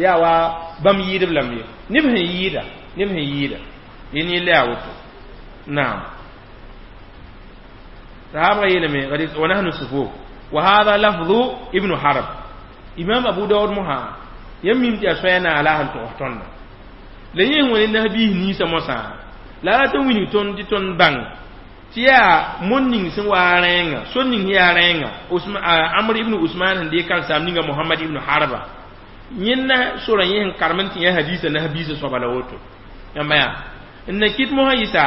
yaa wa bãmb yɩɩdb lame ye neb sẽn yɩɩda neb sẽn yɩɩda yẽ yella yaa woto naam sahabga yeelame wa nahnu sufuf wa hadha lafdhu ibnu harb imam abu daud mosa yãmb mim tɩ yaa soaya naag la sẽn togs tõnda la yẽ wã ne nasbiis ninsã mosã la a rat n wilg tõnd tɩ tõnd bãng tɩ yaa mon ning sẽn wa rẽenga sor ning sẽn yaa rẽenga amr ibn usman sẽn deeg karensaam ninga mohamad ibn harba yẽnda sora yẽ sẽn karem n tɩ yã hadiisã nasbiisã soaba la woto yãmba yaa n na kɩt mosã yɩsa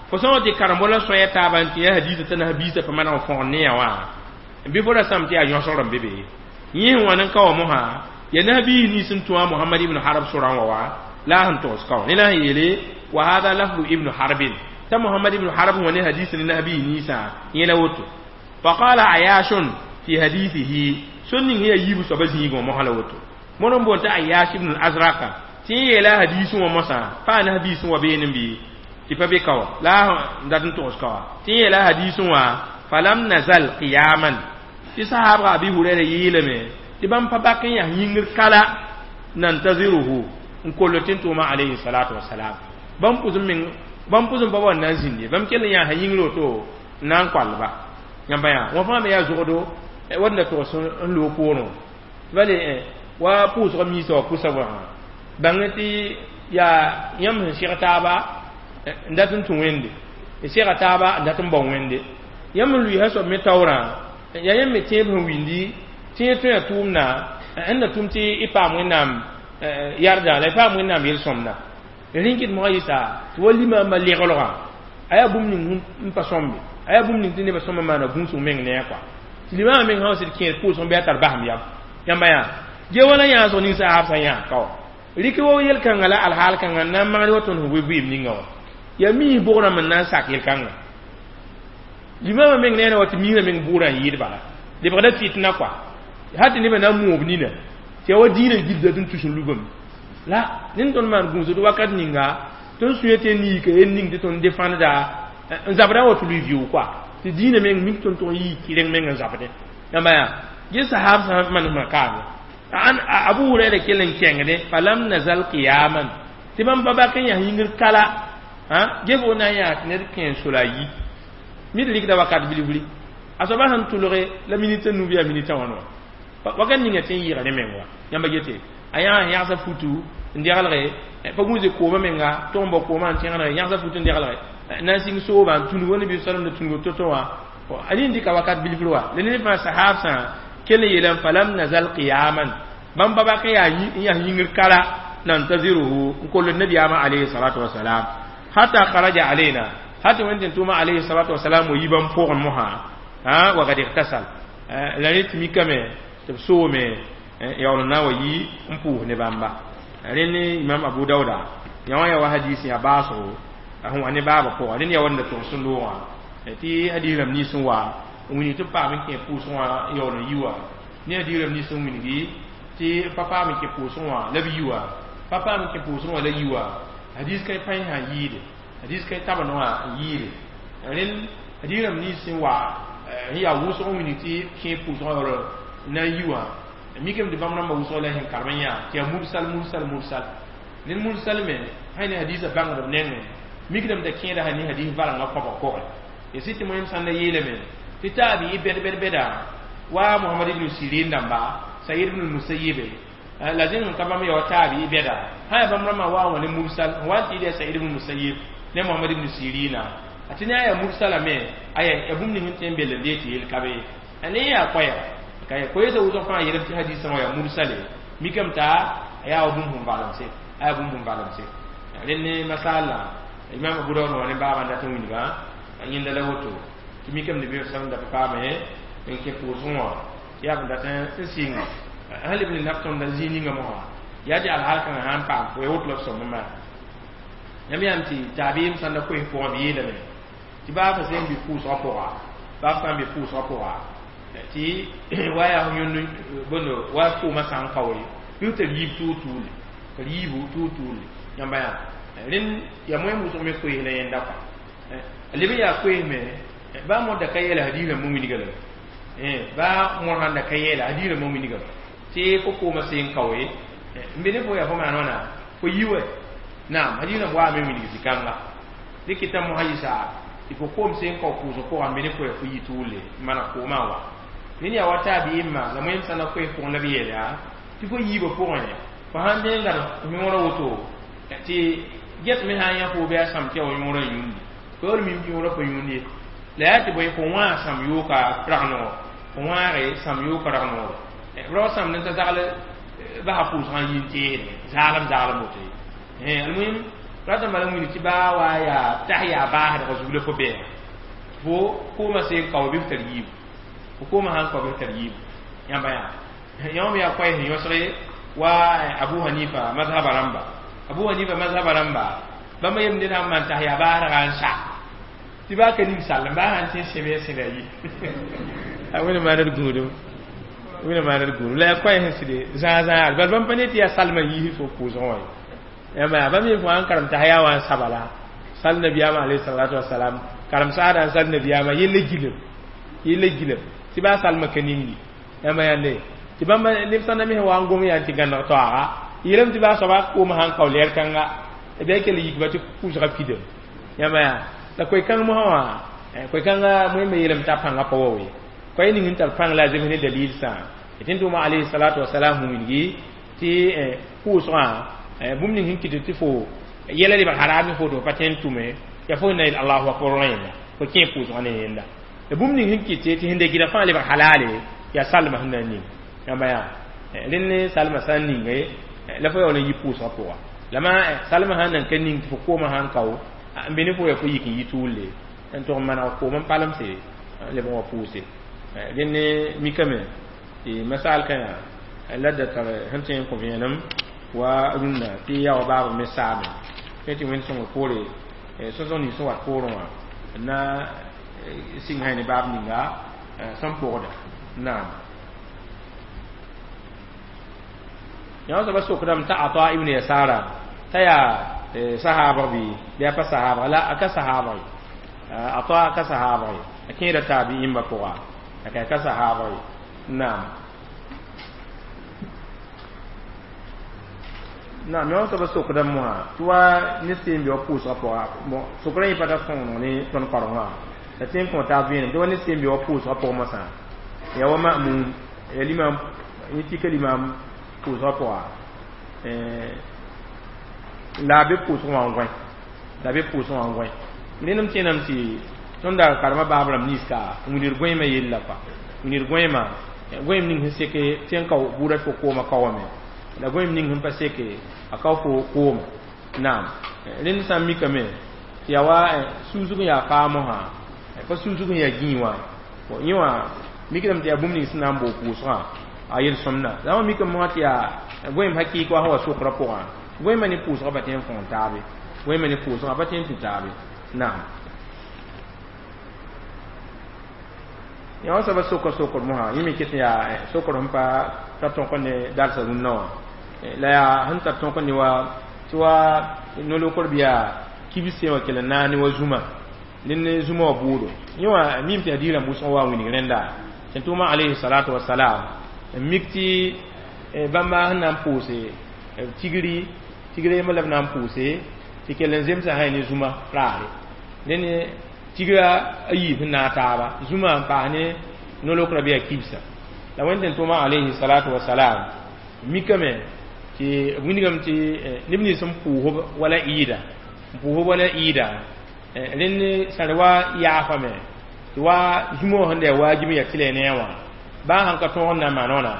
fo sã wa tɩ karembo la soaya taaba n tɩ yã hadiisã t'a nasbiisã pa maneg n fõgd ne yã wã bɩ fo ra sãm tɩ yaa yõsgr n be be yẽ sẽn wãn n ka wa mosã ya nasbiis nins n tũ a mohamad ibn harb sorã wã wa la a sẽn togs ka wã ne la sẽn yeele wa hada lafdu ibnu harbin ta muhammad ibn harb wã ne hadis ne nasbiis ninsã yẽ la woto faqala ayashun fi hadithihi sẽn ning yaa yiib soaba zĩigẽ wã mosã la woto moor n boond t'a ayash ibn al-azraqa tɩ yẽ yeela hadiis wã mosã pa a nasbiis wã beene bɩ tɩ pa be ka wã la a dat n togs ka wã tɩ yẽ yeela hadiis wã falam nazal qiyaman tɩ sahabga abi hurɛra yeelame tɩ bãmb pa bak n yaa yĩngr kala nantaziruhu n koll tɩ n tʋʋma alayhi salatu wasalam bãmb pʋs n meng bãmb pʋs n pa wa n na n zĩnd ye bãmb kell n yaa yĩngr woto n na n koalba yãmba yaa wã fãa me yaa zogdo wat n da togs n loog poorẽ bale wa pʋʋsg miisã wa pʋsa wã bãng tɩ yaa yãmb sẽn seg taaba n dat n tũ wẽnde n sega taaba n dat n bao wẽnde yãmb n lʋɩɩsã soab me taoorã yaa yãmb me tẽeb sẽn windi tẽeg tõe a tʋʋmda n na tʋm tɩ y paam wẽnnaam yardã la y paam wẽnnaam yel-sõmda rẽn kɩt mosã yɩsa tɩ wa limamba leglgã a yaa bũmb ning n pa sõmbe a yaa bũmb ning tɩ nebã sõma maana gũusg meng ne a kɔa tɩ limamã meng sã wa sɩd kẽer pʋʋsg bɩ a tar basem yam yãmba yaa ge wala yãasg ning sahabsã yãa ka wa rɩk wa yel-kãngã la alhaal kãngã n na n magd wa tõnd sẽn bʋɩ vɩɩm ninga wã yaa miis bʋgrãmb n na n sak yel-kãngã limamã meng neera wa tɩ miisã meng bʋʋrã n yɩɩd bala lebgda fitna kɔa ha tɩ nebã na n moob nina tɩ yaa wa dĩinã gilda tɩ n tus n lubame la ned tõnd maan gũusd wakat ninga tõnd sũyã tɩ n niika yel ning tɩ tõnd defãnda n zabdã wa tɩ lʋɩ vɩʋʋg kɔa tɩ dĩinã meng mik tõnd tʋg n yii kɩreng meng n zabdẽ yãmba yaa ge sahab sã manesmã kaame an abu huraira kell n kẽngdẽ falam nazal qiyaman tɩ bãmb pa bak n yaa yĩngr kala ge fo na n yaa tɩ ned kẽ n sola yi mid rɩkda wakat bilifri a soaba sẽn tʋlge la minita nu bɩ yaa minita wãn wã wakat ninga tɩ n yɩɩga ne meng wa yãmba gete a yãa sẽn yagsa futu n degelge pa gũuse koomã menga tʋg n bao koomã n tẽgenege yãgsa futu n degelge na n sɩng sooba n tũnug wa nabi salam da tũnugo to-to wã a nin dɩka wakat bilifr wa la ned fãa sahabsã kell n yeelame falam nazal qiyaman bãmb pa bak n yaa n yaa yĩngr kala nantaziruhu n koll nabiyaamã alayhi salatu wasalam hatta kharaja alayna hata wẽnd tɩ tʋʋma alayhi salatu wasalam wa yi bãmb pʋgẽ mosã wa kad igtasal la rẽ tɩ mikame tɩ b soome yaool n na n wa yi n pʋʋs ne bãmba rẽnd imam abu dauda yã wã yaa wa hadis yaa baasgo sẽn wa ne baabã pʋga rẽnd yaa wanda tʋgs n loogã tɩ hadis rãmb nins n wa n wilg tɩ b paam n kẽ pʋʋsg wã yaool n yi wã ne hadis rãmb nins n wilgi tɩ pa paam n kẽ pʋʋsg wã la b yi wã pa paam n kẽ pʋʋsg wã la yi wã hadis ka pãy sã n yɩɩde hadis ka tabend wã n yɩɩde rẽnd hadis rãmb nins n wa n yaa wʋsg n wilg tɩ kẽ pʋʋsg wã yaool na n yi wã mikame tɩ bãmb rãmbã wʋsg la sẽn karem n yaa tɩ yaa mursal mursal mursal ned mursal me sã ne hadisã bãngdb nengẽ mikdame t'a kẽeda sã ne hadis valengã kõba kogẽ ya sɩ tɩ moyem sãn da yeelame tɩ taabi bɛd bɛd bɛda wa mohamad ibn sirin dãmba said ibn musayibe la zẽng n ka bãmb ya wa taabi bɛda sã yaa bãmb rãmbã wa wã ne mursal n wa n tɩ yaa said ibn musayib Ne Muhammad ibn Sirina atini aya mursala me aya ya bũmb ning sẽn tõe n bel n dee tɩ yel ka be ne yaa koɛɛga ka ya koeesa wʋsg fãa yeelame tɩ hadisã wã yaa mursale mikame t'a yaa wa bũmb sẽn valemse a yaa bũmb sẽn valemse rẽnd ne masala imam Abu Dawud wã ne baaba n dat n wilga a yẽnda la woto tɩ mikame nabi sallam da pa paame n kẽ pʋʋsgẽ wã tɩ yaa b dat n sɩnga sẽn leb ne naf tõnda zĩig ninga mosã yaa tɩ alhaal kãngã sã n paam fo ya woto la b sõm n maan yãmb yãmb tɩ taabiim sãn da koes pʋgã b yeelame tɩ baa fa sẽn bɩ pʋʋsgã pʋga baa f sã n bɩ pʋʋsgã pʋga tɩ wa yaa yõnd bõndo wa koomã sã n kaoore bɩ tɩ yiib tuur-tuurle tɩ yiibu tuur-tuurle yãmba yaa rẽnd yaa moẽm wʋsg me koes la yẽnda kɔa leb n yaa koes me baa moda ka yɛɛla hadiisã mo wilga la baa mõr sãn da ka yɛɛla hadiisã mo wilga tɩ fo koomã seen kaoe n be ne fo yaa fo maan wãna fo yi wɛ naam hadiisã waame wilg zĩ-kãnga dɩ kɩta mosã yɩsa tɩ fo koom seen kao pʋʋsg pʋgã n be ne fo yaa fo yi tʋʋle n maneg koomã wa rẽnd yaa wa taabiimã la moẽm sã na koes pʋgẽ la b yeel yaa tɩ fo yiibã pʋgẽ fo sãn dẽ n gãd yõorã woto tɩ get me sã n yã fo bɩ a sãm tɩ ya wa yõorã yũndi fo yaa mim tɩ yõorã pa yũnd ye la yaa tɩ bõe fo wãag sãm yooka rag-noor fo wãage sãm yooka rag-noor rao sãmd n ta zagl basa pʋʋsgã n yi n teesdẽ zaalem zaalem woto ye almuhim rata n bala n wilg tɩ baa wa yaa tas yaa baasdg zug la fo bɛɛga fo koomã seen kao bɩ f tar yiibu fo koomã sãn kao bɩ f tar yiibu yãmba yaa yãmb yaa koɛɛ sẽn yõsge wa Abu Hanifa mazhaba rãmba Abu Hanifa mazhaba rãmba bãmba yem ned sãn maan tas yaa baasdga n sa tɩ baa ka ning sall n baa sãn tẽ sẽbe n sẽda yi a wẽnd maaned gũudum wẽnd maaned gũudum la yaa koɛɛ sẽn sɩd zãag-zãag bal bãmb pa ne tɩ yaa salmã yiis fo pʋʋsgẽ wã ye yãmba yaa bãmb yẽ fo sãn karem tas yaa wã n saba la sal nabiyaamã alayhi salatu wasalam karem saada n sal nabiyaamã yella gilem yella gilem tɩ baa salmã ka ningi yãmba yãnde tɩ bãmba neb sã na me wa n gom yaa tɩ gãneg taooga yeelame tɩ baa soaba koomã sãn kao lɛɛr kãnga b yaa kell yikba tɩ pʋʋsga pidem yãmba yaa la koe-kãng mosã wã koe-kãnga moẽmbe yeelame t'a pãngã pa wa we koe ning n tar pãng la a zems ne dalil sã tɩ n tʋʋma alayhi salatu wasalam sẽn wilgi tɩ pʋʋsgã bũmb ning sẽn kɩt tɩ fo yɛla lebg haraam fo tɩ fo pa tõe n tʋme yaa fo na yel allahu akbar rẽnda fo kẽ pʋʋsgã ne yẽnda la bũmb ning sẽn kɩt tɩ sẽn da gɩda fãa lebg halale yaa salma sẽn na n ning yãmba yaa rẽnd ne salma sã n ninge la fo yaool n yi pʋʋsgã pʋga la ma salma sãn nan ka ning tɩ fo koomã sãn kao n be ne fo yaa fo yik n yi tʋʋle n tʋg n maneg koom n palemse leb n wa pʋʋse rẽnd ne mikame tɩ masaal kã yaa la da tar sẽn tõe n kõ vẽenem wa rũnnã tɩ yaa wa baab me saame tõe tɩ wẽnd sõngr poore sõsg nins sẽn wat poorẽ wã n na sɩng sã ne baab ninga sẽn pʋgda naam yã soaba sokdame t'a Ata ibn Yasara t'a yaa sahaabg bɩ bɩ a pa sahaabg la a ka sahaabg ye Ata a ka sahaabg ye a kẽeda taabi'imbã pʋga a ka ka sahaabg ye naam naam yã soaba sokdame mosã tɩ wa ne seen bɩ wa pʋʋsgã pʋga sokraã yẽ pa tar sõngd ne tõnd karengã la tẽ n kõ taab vẽenem tɩ wa ne seen bɩ wa pʋʋsgã pʋgẽ mosã yaa wa ma'mum ya limam yẽ tika limam pʋʋsgã pʋga la a be pʋʋsgẽ wã n gõe la a be pʋʋsgẽ wã n gõe ned m tẽename tɩ tõnd da karema baab rãmb ninsga n wilgd gõeemã yella kɔa wilgd gõeemã gõeem ning sẽn seke tɩ n kao buudã tɩ fo koomã kaoame la gõeem ning sẽn pa seke a kao fo kooma naam rẽnd sã n mikame tɩ yaa wa suusg n yaa faa mosã pa suusg n yaa gĩig wã yẽ wã mikdame tɩ yaa bũmb ning sẽn na n boog pʋʋsgã a yel-sõmda la wã mikame mosã tɩ yaa gõeem hakɩɩk wa sẽn wa sokraã pʋgã gõeemã ne pʋʋsgã pa tõe n kõon taabe gõeemã ne pʋʋsgã pa tõe n tũ taabe naam yã wã soaba sokr sokr mosã yẽ me ket n yaa sokr sẽn pa tar tõk ne darsa rũnnã wã la yaa sẽn tar tõk ne wa tɩ wa no-lokr bɩ yaa kibs wã kell n naas ne wa zũma ned ne zũma wã bʋʋdo yẽ wã mim tɩ hadiis rãmb wʋsg wa n wilg rẽnda sẽn tʋʋma alayhi salatu wasalam n mik tɩ bãmba sẽn na n pʋʋse tigri tigre yembr la b na n pʋʋse tɩ kell n zemsa sã ne zũma raare ned ne tigra a yiib sẽn naag taaba zũma n paas ne no-lokrã bɩ yaa kibsã la wẽnd tɩ tʋʋma alayhi salatu wasalam mikame tɩ b wilgame tɩ neb nins n pʋʋsb wala ɩɩda n pʋʋs wala ɩɩda rẽnd sã wa yaafame tɩ wa zũmã wã sẽn da yaa waajib n yaa tɩlɛ ne a wã baa sãn ka tõog n na n maan wãna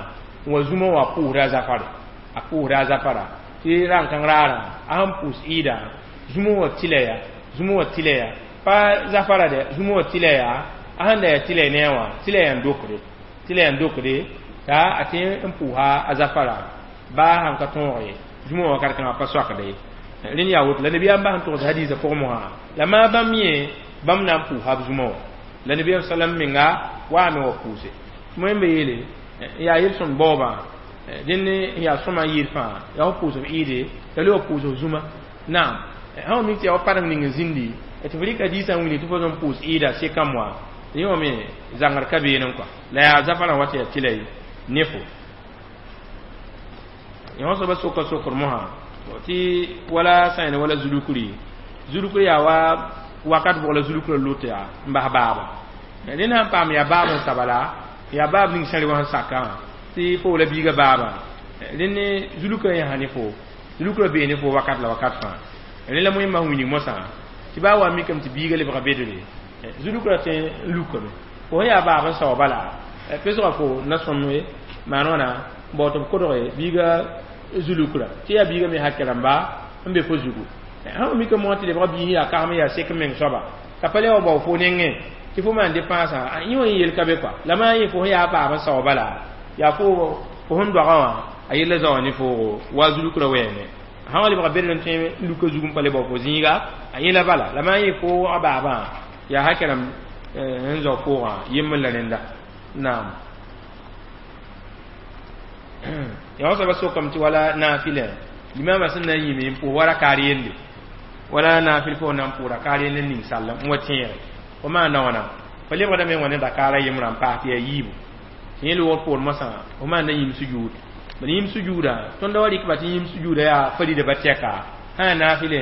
n wa zũmã wã pʋʋsda a zafare a pʋʋsda a zafara tɩ rãn-kãng raarã a sẽn pʋʋs ɩɩda zũmã wã tɩlɛ ya zũmã wã tɩlɛ ya pa zafara dɛ zũmã wã tɩlɛ ya a sẽn da yaa tɩlɛ ne a wã tɩlɛ yaa n dokde tɩlɛ yaa n dokde t'a a tẽ n pʋʋsa a zafara baa sãn ka tõog ye zũmã wã wakat kãngã pa soakda ye rẽnd yaa woto la nabiyaam bas n togs hadiisã pʋgẽ mosã la maa bãmb yẽ bãmb na n pʋʋsa b zũmã wã la nabiyaam salam menga waame wa pʋʋse tɩ wẽmbe yeele yaa yel-sõm baoobã dẽnd yaa sõma n yɩɩd fãa yaa f pʋʋs f ɩɩde la le wa pʋʋs f zũma naam sã wa mik tɩ yaa wa padeng ning n zĩndi tɩ f rɩka diisã n wilg tɩ fo zõm pʋʋs ɩɩda sekame wã yẽ wã me zãngr ka beene kɔa la yaa zafarã wa tɩ yaa tɩla ne fo yõ soaba soka sokr mosã tɩ wala sã wala zulukri zulukri yaa wa wakat bʋg la zulukrã lot yaa n bas baaba rẽnd sãn paam yaa baab n saba la yaa baab ning sã wã sẽn sakã tɩ fo la biiga baaba rẽnd zulukrã yãsa ne fo zulukrã bee ne fo wakat la wakat fãa rẽ la wẽmba sẽn wilg mosã tɩ baa wa mikame tɩ biiga lebga bedre zulukrã tõe n lukame fo sẽn yaa baab n sao bala pesga fo na sõmbe maan wãna n bao tɩ b kodge biiga zulukra tɩ yaa biiga me hakɛ rãmba n be fo zugu sã wa mikame wã tɩ lebga biis yaa kagem yaa sek meng soaba t'a pa le wa bao fo nengẽ tɩ fo maan dépensã yẽ wã yel ka be kɔa la maa yẽ fo sẽn yaa baab n sao bala yaa fo fo sẽn doagã wã a yella zao ne foogo wa zulukra wɛɛngẽ sã wa lebga bedr n tõe n luka zug n pa le bao fo zĩiga a yẽla bala la maa yẽ fo a baabã yaa hakɛ rãmb n zao foogã yembr la rẽnda naam yaa soaba sokame tɩ wala naafɩlɛ limama sẽn na n yĩme n pʋʋs wa rakaar yende wala naafɩl fo na n pʋʋs rakaar yende n ning sallem n wa tẽege fo maanda wãna fo lebgdame n wa ne rakaara yembrã n paas tɩ yaa yiibu tɩ yẽ loogr poor mosã fo maanda yĩm sujuud bad yĩm sujuuda tõnd wa rɩkba tɩ yĩm sujuuda yaa farida ba tɛka sã naafɩle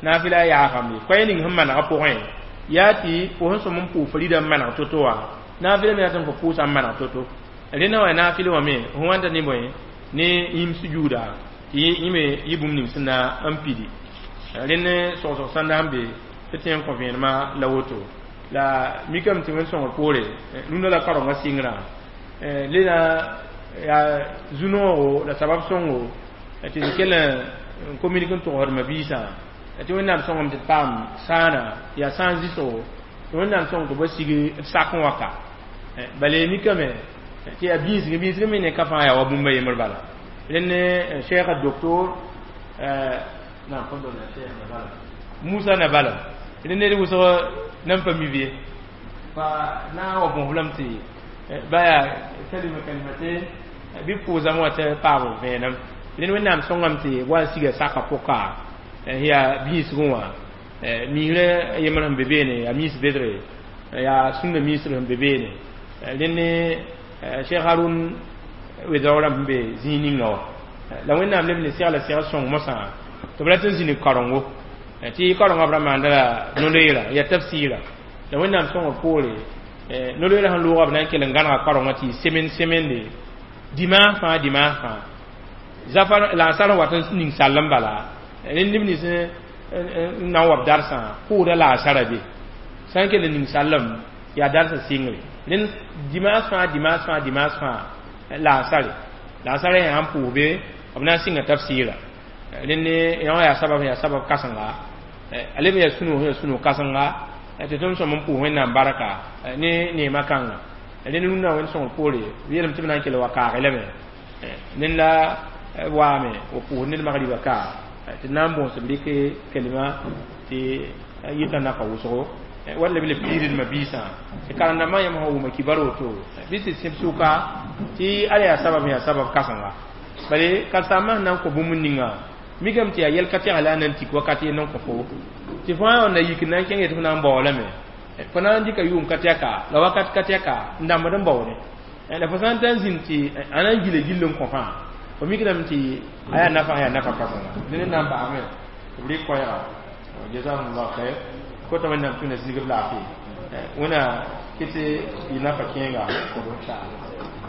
naafɩla yaafambe koɛɛ ning sẽn manegã pʋgẽ yaa tɩ fo sẽn sõm n pʋʋs farida n maneg to-to wã naafɩla me rat n fo pʋʋsa n maneg to-to rẽnda wã naafɩl wã me fo wãnda ne bõe ne yĩm sujuuda tɩ yẽ me yɩ bũmb ning sẽn na n pidi rẽnd sogsg sãnda sẽn be tɩ tẽ n kõ vẽenemã la woto la mikame tɩ wẽn-sõngr poore rũndã la karengã sɩngrã le na yaa zu-noogo la sabab sõngo tɩ d kell n communique n togsd mabiisã tɩ wẽnnaam sõngame tɩ d paam sãana yaa sãan zɩsgo tɩ wẽnnaam sõng tɩ ba sig d sak n wa ka bala mikame tɩ yaa bĩisg bĩisg me ne ka fãa yaa wa bũmba yembr bala rẽnd cheikh docteur Musa na bala rẽnd ned wʋsg nan pa mi bɩ pa na n wa bõs lame tɩ ba yaa kalima kalimaten bɩ pʋʋsame wã tɩ paam vẽenem rẽnd wẽnnaam sõngame tɩ wa n siga saka pʋka yaa bĩisgẽ wã miisrã yembr sẽn be beene yaa miis bedre yaa sũnna miisr sẽn be beene rẽnd cheikh Harun wedaoog rãmb sẽn be zĩig ninga wã la wẽnnaam leb ne segla segl sõng mosã tɩ b rat n zĩnig karengo tɩ karengã b ra maanda la no-loeera yaa tafsiira la wẽnnaam sõngr poore no-loeera sẽn loogã b na n kell n gãnega karengã tɩ semaine semaine dimanche fãa dimanche fãa zafar la n sar n wat n ning sall n bala rẽnd neb nins n na n wa b darsã pʋʋda la a sara be sã n kell n ning sallem yaa darsã sɩngre rẽnd dimanche fãa dimanche fãa dimanche fãa la n sare la n sara yaa n pʋʋs be b na n sɩnga tafsiira rẽnd yã wã yaa sabab yaa sabab kãsenga a leb n yaa sũ-noog yaa sũ-noog kãsenga tɩ tõnd sõm n pʋʋs wẽnnaam barka ne neemã kãnga rẽnd rũnnã wẽnd sõngr poore b yeelame tɩ b na n kell wa kaage lame ned la waame wa pʋʋs ned magriba ka tɩ na n bõos b rɩk kalima tɩ yɩta naka wʋsgo wall b le piirdmã biisã tɩ karen-dãmbã yãmb sã wʋma kibar woto bɩ tɩ sẽb sʋka tɩ ala yaa sabab yaa sabab kãsenga bale karen-saambã sẽn na n kõ bũmb ninga mikame tɩ yaa yɛl ka tɛg la a na n tik wakat ye n kõ fo tɩ fãa wã na yik n na n kẽng tɩ f na n bao lame fo na n dɩka yʋʋm ka tɛka la wakat ka tɛka n dãmbd n baoode la fo sã n ta n zĩnd tɩ a na n gila gill n kõ fãa fo mikdame tɩ a yaa nafa yaa nafa kãsenga dẽnd na n paame tɩ b rɩk koɛɛga jazakumullah khair kota wẽnnaam tũna zĩig b laafɩ wẽna kɩ tɩ yɩ nafa kẽenga inshallah.